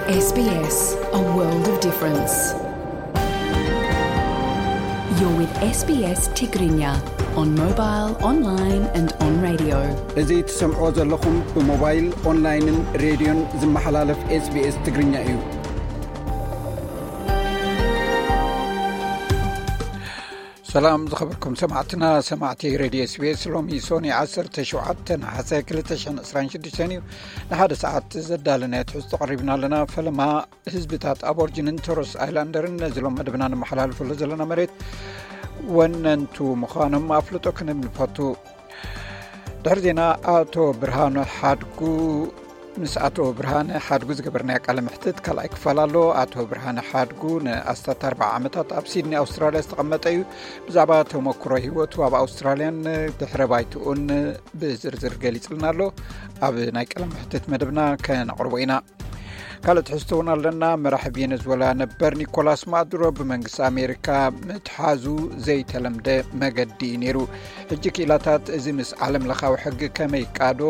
S B S, a world of difference. You're with S B S Tigrinya on mobile, online and on radio. እዚ ትሰምዕዎ ዘለኹም ብሞባይል፣ ኦንላይንን ሬድዮን ዝመሓላለፍ SBS ትግርኛ እዩ። ሰላም ዝኸበርኩም ሰማዕትና፣ ሰማዕቲ ሬድዮ SBS። ሎሚ ሶኒ ዓሰርተ ሸውዓተ ነሓሰ ክልተ ሽሕን ዕስራን ሽዱሽተን እዩ። ንሓደ ሰዓት ዘዳለናዮ ትሕዝቶ ቀሪብና ኣለና። ፈለማ ህዝብታት ኣቦርጅንን ቶረስ ኣይላንደርን ነዚ ሎም መደብና ነመሓላልፈሉ ዘለና መሬት ወነንቱ ምዃኖም ኣፍልጦ ክንህብ ንፈቱ። ድሕሪ ዜና ኣቶ ብርሃኑ ሓድጉ፣ ምስ ኣቶ ብርሃነ ሓድጉ ዝገበርናዮ ቃለ መሕትት ካልኣይ ክፋል ኣሎ። ኣቶ ብርሃነ ሓድጉ ንኣስታት ኣርባዓ ዓመታት ኣብ ሲድኒ ኣውስትራልያ ዝተቐመጠ እዩ። ብዛዕባ ተመክሮ ህይወቱ ኣብ ኣውስትራልያን ድሕረ ባይትኡን ብዝርዝር ገሊጽልና ኣሎ። ኣብ ናይ ቃለ መሕትት መደብና ከነቕርቦ ኢና። ካልእ ትሕዝቶ እውን ኣለና። መራሒ ቬነዝዌላ ነበር ኒኮላስ ማዱሮ ብመንግስቲ ኣሜሪካ ምትሓዙ ዘይተለምደ መገዲ እዩ ነይሩ። ሕጂ ክኢላታት እዚ ምስ ዓለም ለኻዊ ሕጊ ከመይ ቃዶ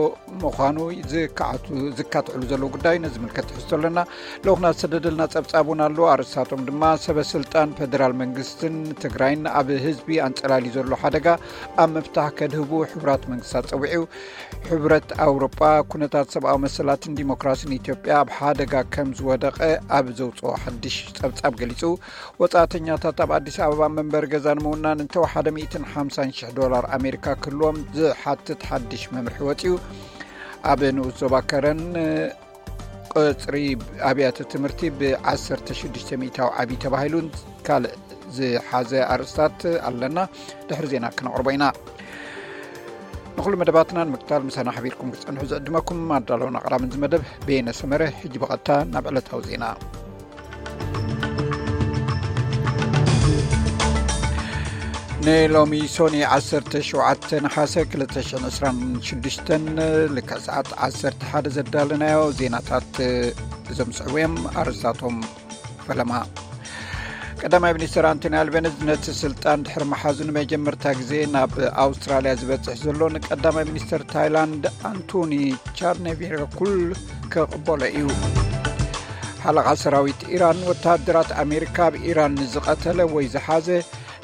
ምዃኑ ዝካዓቱ-፣ ዝካትዕሉ ዘለዉ ጉዳይ ነዚ ምልከት ትሕዝቶ ኣለና። ልኡኽና ዝተሰደደልና ጸብጻብ እውን ኣሎ። ኣርእስታቶም ድማ ሰበ ስልጣን ፌደራል መንግስትን ትግራይን ኣብ ህዝቢ ኣንጸላልዩ ዘሎ ሓደጋ ኣብ ምፍታሕ ከድህቡ ሕቡራት መንግስታት ጸዊዑ። ሕብረት ኣውሮጳ ኩነታት ሰብኣዊ መሰላትን ዲሞክራሲን ኢትዮጵያ ኣብ ሓደጋ ከም ዝወደቐ ኣብ ዘውፅኦ ሓድሽ ጸብጻብ ገሊጹ። ወጻእተኛታት ኣብ ኣዲስ ኣበባ መንበሪ ገዛ ንምውናን እንተወሓደ ሚእትን ሓምሳን ሽሕ ዶላር ኣሜሪካ ክህልዎም ዝሓትት ሓድሽ መምርሒ ወጺኡ። ኣብ ንኡስ ዞባ ከረን ቅጽሪ ኣብያተ ትምህርቲ ብ ዓሰርተ ሽዱሽተ ሚእታዊ ዓብዪ ተባሂሉን ካልእ ዝሓዘ ኣርእስታት ኣለና። ድሕሪ ዜና ክነቕርቦ ኢና። ንኹሉ መደባትና ንምክታል ምሳና ሓቢርኩም ክትጸንሑ ዝዕድመኩም ኣዳለውን ኣቕራብን እዚ መደብ በየነ ሰመረ። ሕጂ ብቐጥታ ናብ ዕለታዊ ዜና። ንሎሚ ሶኒ ዓሰርተ ሸውዓተ ነሓሰ ክልተ ሽሕን ዕስራን ሽዱሽተን ልክዕ ሰዓት ዓሰርተ ሓደ ዘዳለናዮ ዜናታት እዞም ዝስዕቡ እዮም። ኣርእስታቶም ፈለማ። ቀዳማይ ሚኒስትር ኣንቶኒ ኣልቤኒዝ ነቲ ስልጣን ድሕሪ መሓዙ ንመጀመርታ ግዜ ናብ ኣውስትራልያ ዝበጽሕ ዘሎ ንቀዳማይ ሚኒስትር ታይላንድ ኣንቶኒ ቻርኔቪራኩል ክቕበሎ እዩ። ሓለቓ ሰራዊት ኢራን ወተሃደራት ኣሜሪካ ኣብ ኢራን ንዝቐተለ ወይ ዝሓዘ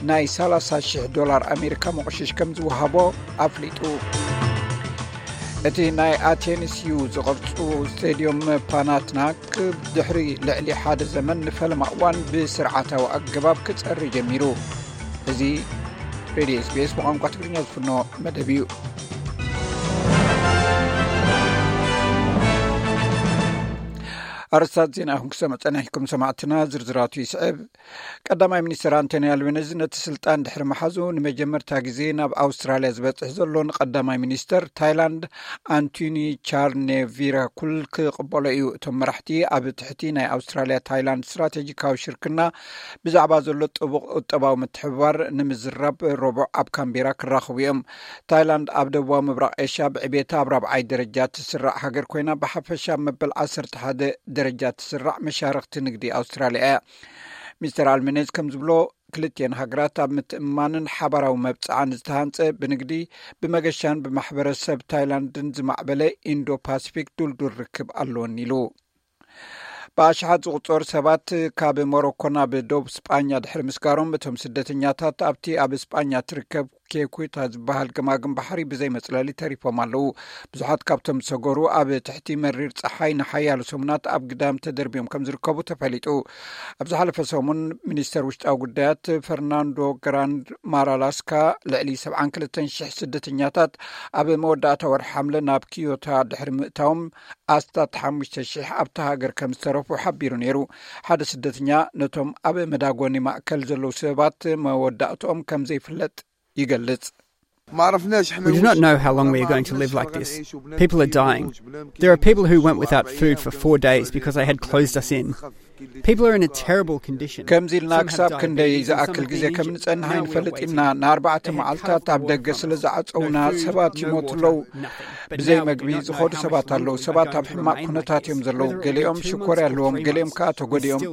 ናይ ሰላሳ ሽሕ ዶላር ኣሜሪካ መቑሽሽ ከም ዝወሃቦ ኣፍሊጡ። እቲ ናይ ኣቴንስ ዩ ዝቕርጹ ስቴድዮም ፓናትናክ ድሕሪ ልዕሊ ሓደ ዘመን ንፈለማ እዋን ብስርዓታዊ ኣገባብ ክጸሪ ጀሚሩ። እዚ ሬድዮ SBS ብቋንቋ ትግርኛ ዝፍኖ መደብ እዩ። ኣርስታት ዜና ኢኹም ክሰምዕ ጸኒሕኩም ሰማዕትና፣ ዝርዝራቱ ይስዕብ። ቀዳማይ ሚኒስትር ኣንቶኒ ኣልቤኒዝ ነቲ ስልጣን ድሕሪ መሓዙ ንመጀመርታ ግዜ ናብ ኣውስትራልያ ዝበጽሕ ዘሎ ንቀዳማይ ሚኒስተር ታይላንድ ኣንቶኒ ቻርኔቪራኩል ክቕበሎ እዩ። እቶም መራሕቲ ኣብ ትሕቲ ናይ ኣውስትራልያ ታይላንድ ስትራቴጂካዊ ሽርክና ብዛዕባ ዘሎ ጥቡቕ ቁጠባዊ ምትሕብባር ንምዝራብ ረቡዕ ኣብ ካምቤራ ክራኸቡ እዮም። ታይላንድ ኣብ ደቡባዊ ምብራቕ ኤሽያ ብዕቤታ ኣብ ራብዓይ ደረጃ ትስራዕ ሃገር ኮይና ብሓፈሻ ኣብ መበል ዓሰርተ ሓደ ደረጃ ትስራዕ መሻርኽቲ ንግዲ ኣውስትራልያ እያ። ሚስተር ኣልሜኔዝ ከም ዝብሎ፣ ክልቲኤን ሃገራት ኣብ ምትእምማንን ሓባራዊ መብጽዓን ዝተሃንጸ ብንግዲ፣ ብመገሻን ብማሕበረሰብ ታይላንድን ዝማዕበለ ኢንዶ ፓሲፊክ ድልዱል ርክብ ኣለወን ኢሉ። ብኣሽሓት ዝቑጸሩ ሰባት ካብ ሞሮኮ ናብ ዶብ ስጳኛ ድሕሪ ምስጋሮም፣ እቶም ስደተኛታት ኣብቲ ኣብ ስጳኛ ትርከብ ኬኩታ ዝበሃል ገማግም ባሕሪ ብዘይ መጽለሊ ተሪፎም ኣለዉ። ብዙሓት ካብቶም ዝሰገሩ ኣብ ትሕቲ መሪር ጸሓይ ንሓያሎ ሰሙናት ኣብ ግዳም ተደርብዮም ከም ዝርከቡ ተፈሊጡ። ኣብ ዝሓለፈ ሰሙን ሚኒስተር ውሽጣዊ ጉዳያት ፈርናንዶ ግራንድ ማራላስካ ልዕሊ ሰብዓን ክልተን ሽሕ ስደተኛታት ኣብ መወዳእታ ወርሒ ሓምለ ናብ ኪዮታ ድሕሪ ምእታዎም ኣስታት ሓሙሽተ ሽሕ ኣብታ ሃገር ከም ዝተረፉ ሓቢሩ ነይሩ። ሓደ ስደተኛ ነቶም ኣብ መዳጎኒ ማእከል ዘለዉ ሰባት መወዳእትኦም ከም ዘይፍለጥ ይገልጽ። We do not know how long we are going to live like this. People are dying. There are people who went without food for four days because they had closed us in. People are in a terrible condition. ከምዚ ኢልና ክሳብ ክንደይ ዝኣክል ግዜ ከም ንጸንሕ ኣይንፈልጥ ኢና። ንኣርባዕተ መዓልታት ኣብ ደገ ስለ ዝዓጸውና ሰባት ይሞቱ ኣለዉ። ብዘይ መግቢ ዝኸዱ ሰባት ኣለዉ። ሰባት ኣብ ሕማቕ ኩነታት እዮም ዘለዉ። ገሊኦም ሽኮር ኣለዎም፣ ገሊኦም ከኣ ተጎዲኦም።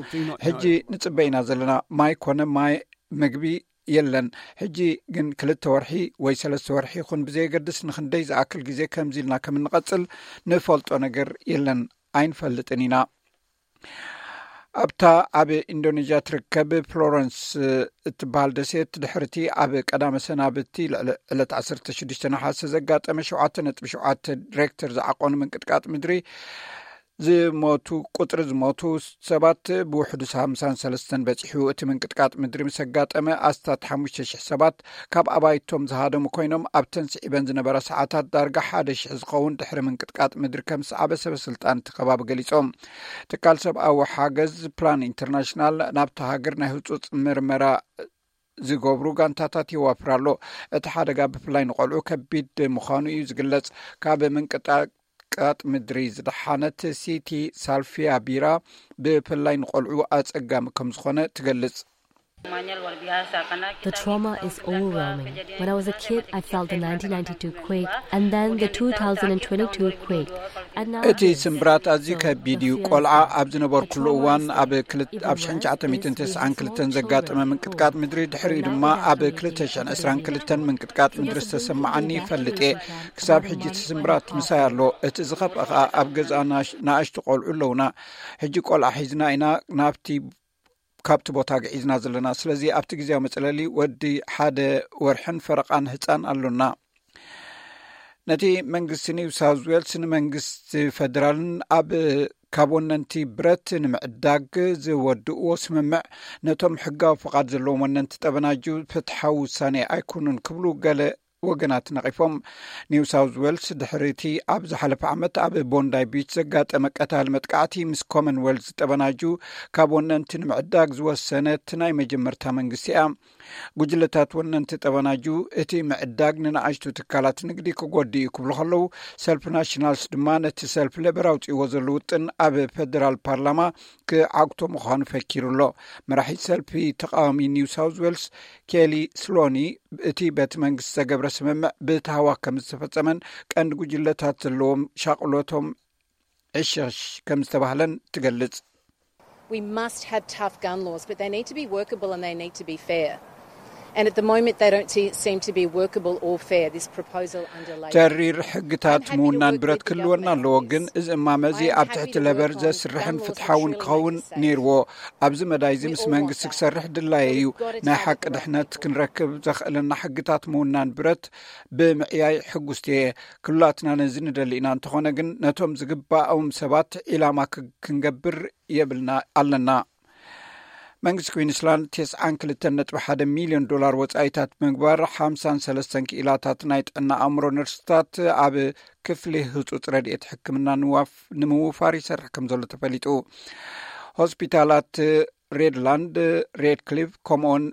ሕጂ ንጽበ ኢና ዘለና። ማይ ኮነ ማይ፣ ምግቢ የለን። ሕጂ ግን ክልተ ወርሒ ወይ ሰለስተ ወርሒ ይኹን ብዘየገድስ ንኽንደይ ዝኣክል ግዜ ከምዚ ኢልና ከም እንቐጽል ንፈልጦ ነገር የለን፣ ኣይንፈልጥን ኢና። ኣብታ ኣብ ኢንዶኔዥያ ትርከብ ፍሎረንስ እትበሃል ደሴት ድሕርቲ ኣብ ቀዳመ ሰናብቲ ዕለት ዓሰርተ ሽዱሽተ ነሓሰ ዘጋጠመ ሸውዓተ ነጥቢ ሸውዓተ ሬክተር ዝዓቆኑ ምንቅጥቃጥ ምድሪ ዝሞቱ ቁፅሪ ዝሞቱ ሰባት ብውሕዱ ሓምሳን ሰለስተን በፂሑ። እቲ ምንቅጥቃጥ ምድሪ ምስ ኣጋጠመ ኣስታት ሓሙሽተ ሽሕ ሰባት ካብ ኣባይቶም ዝሃደሙ ኮይኖም ኣብተን ስዒበን ዝነበራ ሰዓታት ዳርጋ ሓደ ሽሕ ዝኸውን ድሕሪ ምንቅጥቃጥ ምድሪ ከም ዝሰዓበ ሰበ ስልጣን እቲ ከባቢ ገሊፆም። ትካል ሰብኣዊ ሓገዝ ፕላን ኢንተርናሽናል ናብታ ሃገር ናይ ህፁፅ ምርመራ ዝገብሩ ጋንታታት የዋፍር ኣሎ። እቲ ሓደጋ ብፍላይ ንቆልዑ ከቢድ ምዃኑ እዩ ዝግለጽ። ካብ ምንቅጣቃጥ ምድሪ ዝደሓነት ሲቲ ሳልፊያ ቢራ ብፍላይ ንቆልዑ ኣጸጋሚ ከም ዝኾነ ትገልጽ። The trauma is overwhelming. When I was a kid, I felt the nineteen ninety-two quake and then the two thousand twenty-two quake. And now እቲ ስምብራት ኣዝዩ ከቢድ እዩ። ቆልዓ ኣብ ዝነበርኩሉ እዋን ኣብ ክልት- ኣብ ሽሕን ትሽዓተ ሚእትን ተስዓን ክልተን ዘጋጠመ ምንቅጥቃጥ ምድሪ፣ ድሕሪኡ ድማ ኣብ ክልተ ሽሕን ዕስራን ክልተን ምንቅጥቃጥ ምድሪ ዝተሰማዓኒ ይፈልጥ እየ። ክሳብ ሕጂ እቲ ስምብራት ምሳይ ኣሎ። እቲ ዝኸፍአ ኸኣ ኣብ ገዛ ናሽ- ንኣሽቱ ቆልዑ ኣለውና። ሕጂ ቆልዓ ሒዝና ኢና ናብቲ ካብቲ ቦታ ግዒዝና ዘለና። ስለዚ ኣብቲ ግዜያዊ መጽለሊ ወዲ ሓደ ወርሕን ፈረቓን ህጻን ኣሎና። ነቲ መንግስቲ ኒው ሳውዝ ዌልስ ንመንግስቲ ፈደራልን ኣብ ካብ ወነንቲ ብረት ንምዕዳግ ዝወድእዎ ስምምዕ ነቶም ሕጋዊ ፍቓድ ዘለዎም ወነንቲ ጠበናጁ ፍትሓዊ ውሳኔ ኣይኮኑን ክብሉ ገለ ወገናት ነቒፎም። ኒው ሳውዝ ዌልስ ድሕሪቲ ኣብ ዝሓለፈ ዓመት ኣብ ቦንዳይ ቢች ዘጋጠመ ቀታሊ መጥቃዕቲ ምስ ኮመንዌልዝ ጠበናጁ ካብ ወነንቲ ንምዕዳግ ዝወሰነት ናይ መጀመርታ መንግስቲ እያ። ጉጅለታት ወነንቲ ጠበናጁ እቲ ምዕዳግ ንንኣሽቱ ትካላት ንግዲ ክጎድእ እዩ ክብሉ ከለዉ፣ ሰልፊ ናሽናልስ ድማ ነቲ ሰልፊ ሌበር ኣውፅእዎ ዘሎ ውጥን ኣብ ፈደራል ፓርላማ ክዓግቶ ምዃኑ ፈኪሩ ኣሎ። መራሒ ሰልፊ ተቃዋሚ ኒው ሳውዝ ዌልስ ኬሊ ስሎኒ እቲ በቲ መንግስቲ ዘገብረ ስምምዕ ብታህዋክ ከም ዝተፈጸመን ቀንዲ ጉጅለታት ዘለዎም ሻቕሎቶም ዕሸሽ ከም ዝተባህለን ትገልጽ። We must have tough gun laws, but they need to be workable and they need to be fair. And at the moment, they don't se- seem to be workable or fair, this proposal under Labor. ተሪር ሕግታት ምውናን ብረት ክህልወና ኣለዎ፣ ግን እዚ እማመ እዚ ኣብ ትሕቲ ለበር ዘስርሕን ፍትሓውን ክኸውን ነይርዎ። ኣብዚ መዳይ እዚ ምስ መንግስቲ ክሰርሕ ድላየ እዩ። ናይ ሓቂ ድሕነት ክንረክብ ዘኽእለና ሕግታት ምውናን ብረት ብምዕያይ ሕጉስቲ እየ። ክሉላትና ነዚ ንደሊ ኢና። እንተኾነ ግን ነቶም ዝግባኦም ሰባት ዒላማ ክ- ክንገብር የብልና ኣለና። መንግስቲ ኩዊንስላንድ ተስዓን ክልተን ነጥቢ ሓደ ሚልዮን ዶላር ወጻኢታት ምግባር ሓምሳን ሰለስተን ክኢላታት ናይ ጥዕና ኣእምሮ ነርስታት ኣብ ክፍሊ ህጹጽ ረድኤት ሕክምና ንምውፋር ይሰርሕ ከም ዘሎ ተፈሊጡ። ሆስፒታላት ሬድላንድ፣ ሬድክሊፍ ከምኡውን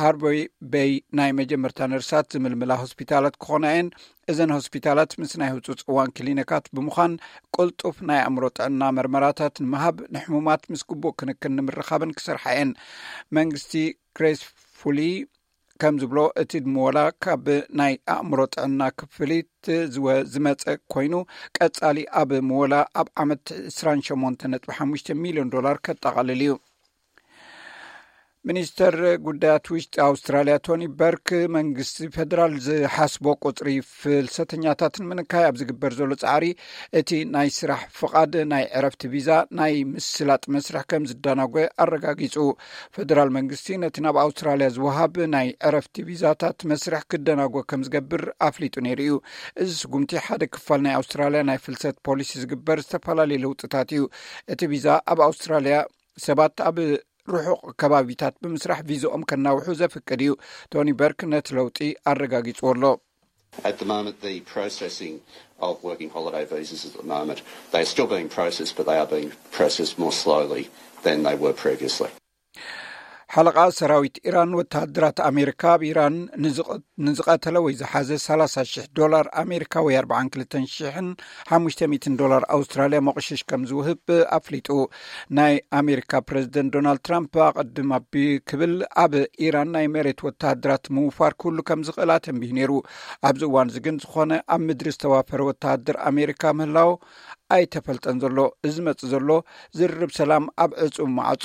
ሃርቦይ ቤይ ናይ መጀመርታ ነርሳት ዝምልምላ ሆስፒታላት ክኾና እየን። እዘን ሆስፒታላት ምስ ናይ ህጹጽ እዋን ክሊኒካት ብምዃን ቅልጡፍ ናይ ኣእምሮ ጥዕና መርመራታት ንምሃብ፣ ንሕሙማት ምስ ግቡእ ክንክን ንምርኻብን ክሰርሓ እየን። መንግስቲ ክሬስ ፉሊ ከም ዝብሎ እቲ ምወላ ካብ ናይ ኣእምሮ ጥዕና ክፍሊት ዝወ- ዝመጸ ኮይኑ ቀጻሊ ኣብ ምወላ ኣብ ዓመት ዕስራን ሸሞንተ ነጥቢ ሓሙሽተ ሚልዮን ዶላር ከጠቓልል እዩ። ሚኒስተር ጉዳያት ውሽጢ ኣውስትራልያ ቶኒ በርክ መንግስቲ ፈደራል ዝሓስቦ ቁፅሪ ፍልሰተኛታት ንምንካይ ኣብ ዝግበር ዘሎ ፃዕሪ እቲ ናይ ስራሕ ፍቓድ ናይ ዕረፍቲ ቪዛ ናይ ምስላጥ መስርሕ ከም ዝደናጎ ኣረጋጊፁ። ፈደራል መንግስቲ ነቲ ናብ ኣውስትራልያ ዝወሃብ ናይ ዕረፍቲ ቪዛታት መስርሕ ክደናጎ ከም ዝገብር ኣፍሊጡ ነይሩ እዩ። እዚ ስጉምቲ ሓደ ክፋል ናይ ኣውስትራልያ ናይ ፍልሰት ፖሊሲ ዝግበር ዝተፈላለዩ ለውጥታት እዩ። እቲ ቪዛ ኣብ ኣውስትራልያ ሰባት ኣብ ርሑቕ ከባቢታት ብምስራሕ ቪዛኦም ከናውሑ ዘፍቅድ እዩ። ቶኒ በርክ ነቲ ለውጢ ኣረጋጊጽዎ ኣሎ። At the moment, the processing of working holiday visas at the moment, they are still being processed, but they are being processed more slowly than they were previously. ሓለቓ ሰራዊት ኢራን ወተሃደራት ኣሜሪካ ኣብ ኢራን ንዝቐተለ ወይ ዝሓዘ ሰላሳ ሽሕ ዶላር ኣሜሪካ ወይ ኣርባዓን ክልተን ሽሕን ሓሙሽተ ሚእትን ዶላር ኣውስትራልያ መቑሽሽ ከም ዝውህብ ኣፍሊጡ። ናይ ኣሜሪካ ፕረዚደንት ዶናልድ ትራምፕ ኣቐድም ኣቢ ክብል ኣብ ኢራን ናይ መሬት ወተሃደራት ምውፋር ክህሉ ከም ዝኽእል ኣተንቢሁ ነይሩ። ኣብዚ እዋን እዚ ግን ዝኾነ ኣብ ምድሪ ዝተዋፈረ ወተሃደር ኣሜሪካ ምህላው ኣይተፈልጠን ዘሎ። እዚ መጽእ ዘሎ ዝርርብ ሰላም ኣብ ዕጹብ ማዕጾ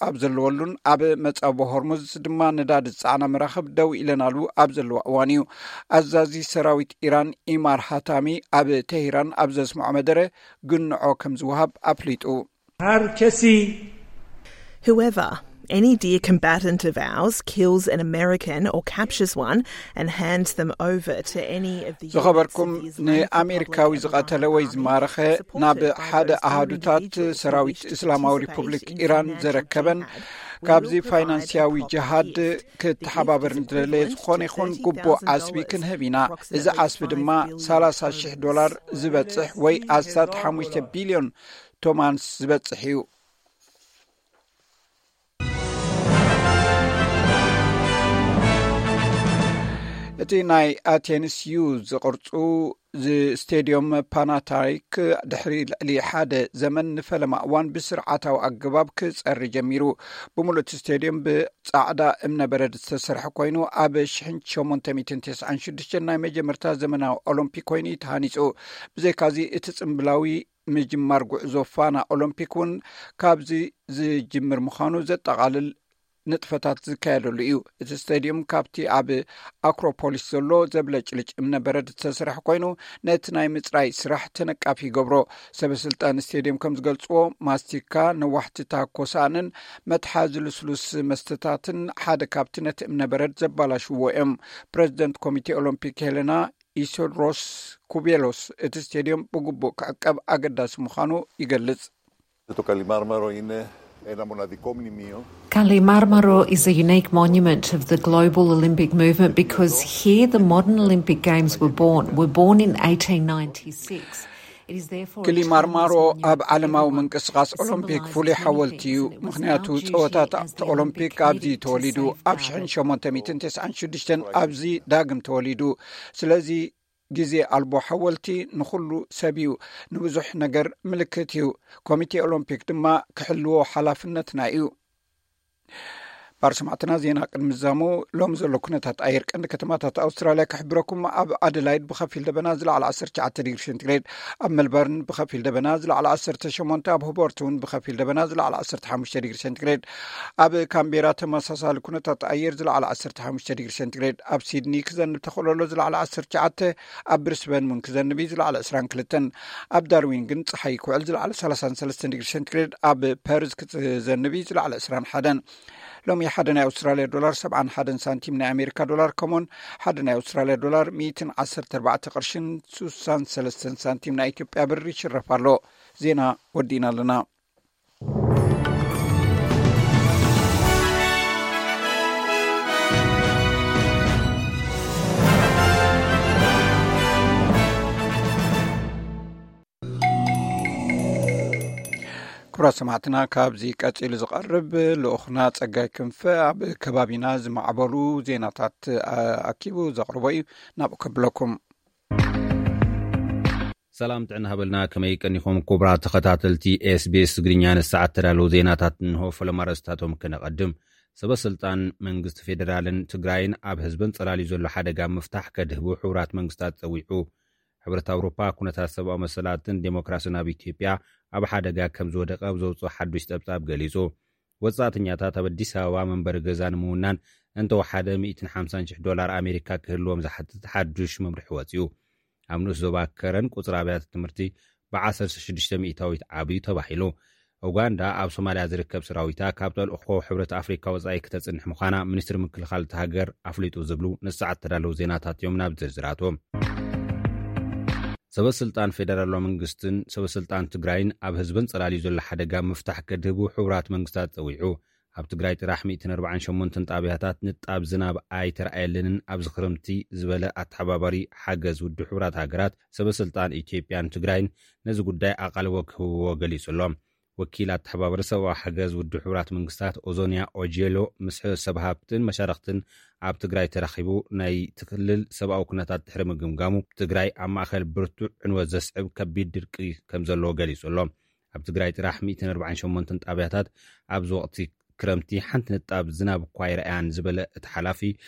ኣብ ዘለወሉን ኣብ መጻቦ ሆርሙዝ ድማ ነዳዲ ዝጸዓና መራኽብ ደው ኢለናሉ ኣብ ዘለዋ እዋን እዩ። ኣዛዚ ሰራዊት ኢራን ኢማር ሃታሚ ኣብ ቴህራን ኣብ ዘስምዖ መደረ ግንዖ ከም ዝወሃብ ኣፍሊጡ። هر کسی Whoever, any dear combatant of ours, kills an American or captures one and hands them over to any of the ዝኸበርኩም፣ ንኣሜሪካዊ ዝቐተለ ወይ ዝማረኸ ናብ ሓደ ኣሃዱታት ሰራዊት እስላማዊ ሪፑብሊክ ኢራን ዘረከበን ካብዚ ፋይናንስያዊ ጅሃድ ክተሓባበር ንዝደለየ ዝኾነ ይኹን ግቡእ ዓስቢ ክንህብ ኢና። እዚ ዓስቢ ድማ ሰላሳ ሽሕ ዶላር ዝበጽሕ ወይ ኣስታት ሓሙሽተ ቢልዮን ቶማንስ ዝበጽሕ እዩ። እቲ ናይ ኣቴንስ ዩ ዝቕርጹ ስቴድዮም ፓናታይክ ድሕሪ ልዕሊ ሓደ ዘመን ንፈለማ እዋን ብስርዓታዊ ኣገባብ ክጸሪ ጀሚሩ። ብምሉእ እቲ ስቴድዮም ብጻዕዳ እምነበረድ ዝተሰርሐ ኮይኑ፣ ኣብ ሽሕን ሸሞንተ ሚእትን ተስዓን ሽዱሽተን ናይ መጀመርታ ዘመናዊ ኦሎምፒክ ኮይኑ እዩ ተሃኒጹ። ብዘይካዚ እቲ ጽምብላዊ ምጅማር ጉዕዞ ፋና ኦሎምፒክ እውን ካብዚ ዝጅምር ምዃኑ ዘጠቓልል ንጥፈታት ዝካየደሉ እዩ። እቲ ስቴድዮም ካብቲ ኣብ ኣክሮፖሊስ ዘሎ ዘብለጭልጭ እምነበረድ ዝተሰርሐ ኮይኑ፣ ነቲ ናይ ምጽራይ ስራሕ ተነቃፊ ይገብሮ። ሰበ ስልጣን ስቴድዮም ከም ዝገልጽዎ፣ ማስቲካ፣ ነዋሕቲ ታኮ ሳእንን መትሓዚ ልስሉስ መስተታትን ሓደ ካብቲ ነቲ እምነበረድ ዘባላሽዎ እዮም። ፕረዚደንት ኮሚቴ ኦሎምፒክ ሄለና ኢሶድሮስ ኩቤሎስ፣ እቲ ስቴድዮም ብግቡእ ክዕቀብ ኣገዳሲ ምዃኑ ይገልጽ። Το Καλιμάρμαρο είναι ένα μοναδικό μνημείο. Kalimármaro is a unique monument of the global Olympic movement because here the modern Olympic Games were born, were born in eighteen ninety-six. It is therefore a ክሊማርማሮ timeless monument ኣብ ዓለማዊ that ምንቅስቃስ symbolizes ኦሎምፒክ many ፍሉይ ሓወልቲ እዩ። and it was ምኽንያቱ our duty ጸወታታት as the ኦሎምፒክ Olympic ኣብዚ committee to ተወሊዱ safeguard ኣብ ሽሕን ሸሞንተ ሚእትን ተስዓን ሽዱሽተን ኣብዚ ዳግም ተወሊዱ። ስለዚ ግዜ ኣልቦ ሓወልቲ ንኹሉ ሰብ እዩ፣ ንብዙሕ ነገር ምልክት እዩ። ኮሚቴ ኦሎምፒክ ድማ ክሕልዎ ሓላፍነትና እዩ። ባር ሰማዕትና፣ ዜና ቅድሚ ዛሙ ሎም ዘሎ ኩነታት ኣየር ቀንዲ ከተማታት ኣውስትራልያ ክሕብረኩም። ኣብ ኣደላይድ ብኸፊል ደበና ዝለዓለ ዓሰርተ ትሽዓተ ዲግሪ ሴንቲግሬድ፣ ኣብ መልበርን ብኸፊል ደበና ዝለዓለ ዓሰርተ ሸሞንተ፣ ኣብ ሆቦርት እውን ብኸፊል ደበና ዝለዓለ ዓሰርተ ሓሙሽተ ዲግሪ ሴንቲግሬድ፣ ኣብ ካምቤራ ተመሳሳሊ ኩነታት ኣየር ዝለዓለ ዓሰርተ ሓሙሽተ ዲግሪ ሴንቲግሬድ፣ ኣብ ሲድኒ ክዘንብ ተኽእሎ ኣሎ ዝለዓለ ዓሰርተ ትሽዓተ፣ ኣብ ብሪስበን እውን ክዘንብ እዩ ዝለዓለ ዕስራን ክልተን፣ ኣብ ዳርዊን ግን ጸሓይ ክውዕል ዝለዓለ ሰላሳን ሰለስተን ዲግሪ ሴንቲግሬድ፣ ኣብ ፐርዝ ክዘንብ እዩ ዝለዓለ ዕስራን ሓደን። ሎሚ ሓደ ናይ ኣውስትራልያ ዶላር ሰብዓን ሓደን ሳንቲም ናይ ኣሜሪካ ዶላር ከምኡን ሓደ ናይ ኣውስትራልያ ዶላር ሚእትን ዓሰርተ ኣርባዕተ ቅርሽን ሱሳን ሰለስተን ሳንቲም ናይ ኢትዮጵያ ብር ይሽረፍ ኣሎ። ዜና ወዲእና ኣለና። ክቡራት ሰማዕትና፣ ካብዚ ቀጺሉ ዝቐርብ ልኡኽና ጸጋይ ክንፈ ኣብ ከባቢና ዝማዕበሉ ዜናታት ኣኪቡ ዘቕርቦ እዩ። ናብኡ ከብለኩም። ሰላም ጥዕና ሃበልና። ከመይ ቀኒኹም ክቡራት ተኸታተልቲ ኤስቢኤስ ትግርኛ? ንሰዓት ተዳለዉ ዜናታት እንሆ። ፈለማ ኣርእስታቶም ከነቐድም። ሰበ ስልጣን መንግስቲ ፌደራልን ትግራይን ኣብ ህዝብን ጸላልዩ ዘሎ ሓደጋ ምፍታሕ ከድህቡ ሕቡራት መንግስታት ጸዊዑ። ሕብረት ኣውሮፓ ኩነታት ሰብኣዊ መሰላትን ዴሞክራስን ኣብ ኢትዮጵያ ኣብ ሓደጋ ከም ዝወደቐ ኣብ ዘውፅኦ ሓዱሽ ፀብፃብ ገሊፁ። ወፃእተኛታት ኣብ ኣዲስ ኣበባ መንበሪ ገዛ ንምውናን እንተወሓደ ሚእትን ሓምሳን ሽሕ ዶላር ኣሜሪካ ክህልዎም ዝሓትት ሓዱሽ መምርሒ ወፂኡ። ኣብ ንኡስ ዞባ ከረን ቁፅሪ ኣብያተ ትምህርቲ ብዓሰርተ ሽዱሽተ ሚእታዊት ዓብዩ ተባሂሉ። ኡጋንዳ ኣብ ሶማልያ ዝርከብ ሰራዊታ ካብ ተልእኾ ሕብረት ኣፍሪካ ወፃኢ ክተፅንሕ ምዃና ሚኒስትሪ ምክልኻል እታ ሃገር ኣፍሊጡ ዝብሉ ንሰዓት ተዳለዉ ዜናታት እዮም። ናብ ዝርዝራቶም። ሰበ ስልጣን ፌደራላዊ መንግስትን ሰበ ስልጣን ትግራይን ኣብ ህዝብን ጸላልዩ ዘሎ ሓደጋ ምፍታሕ ከድህቡ ሕቡራት መንግስታት ጸዊዑ። ኣብ ትግራይ ጥራሕ ሚእትን ኣርባዓን ሸሞንተን ጣብያታት ንጣብ ዝናብ ኣይተረኣየለንን ኣብዚ ክረምቲ ዝበለ ኣተሓባባሪ ሓገዝ ውድብ ሕቡራት ሃገራት፣ ሰበ ስልጣን ኢትዮጵያን ትግራይን ነዚ ጉዳይ ኣቓልቦ ክህብዎ ገሊጹ ኣሎ። ወኪል ኣተሓባባሪ ሰብኣዊ ሓገዝ ውድብ ሕቡራት መንግስታት ኦዞንያ ኦጄሎ ምስ ሰብ ሃብትን መሻርኽትን ኣብ ትግራይ ተራኺቡ ናይ እቲ ክልል ሰብኣዊ ኩነታት ድሕሪ ምግምጋሙ፣ ትግራይ ኣብ ማእኸል ብርቱዕ ዕንወት ዘስዕብ ከቢድ ድርቂ ከም ዘለዎ ገሊጹ ኣሎ። ኣብ ትግራይ ጥራሕ ሚእትን ኣርባዓን ሸሞንተን ጣብያታት ኣብዚ ወቕቲ ክረምቲ ሓንቲ ንጣብ ዝናብ እኳ ኣይረኣያን ዝበለ እቲ ሓላፊ፣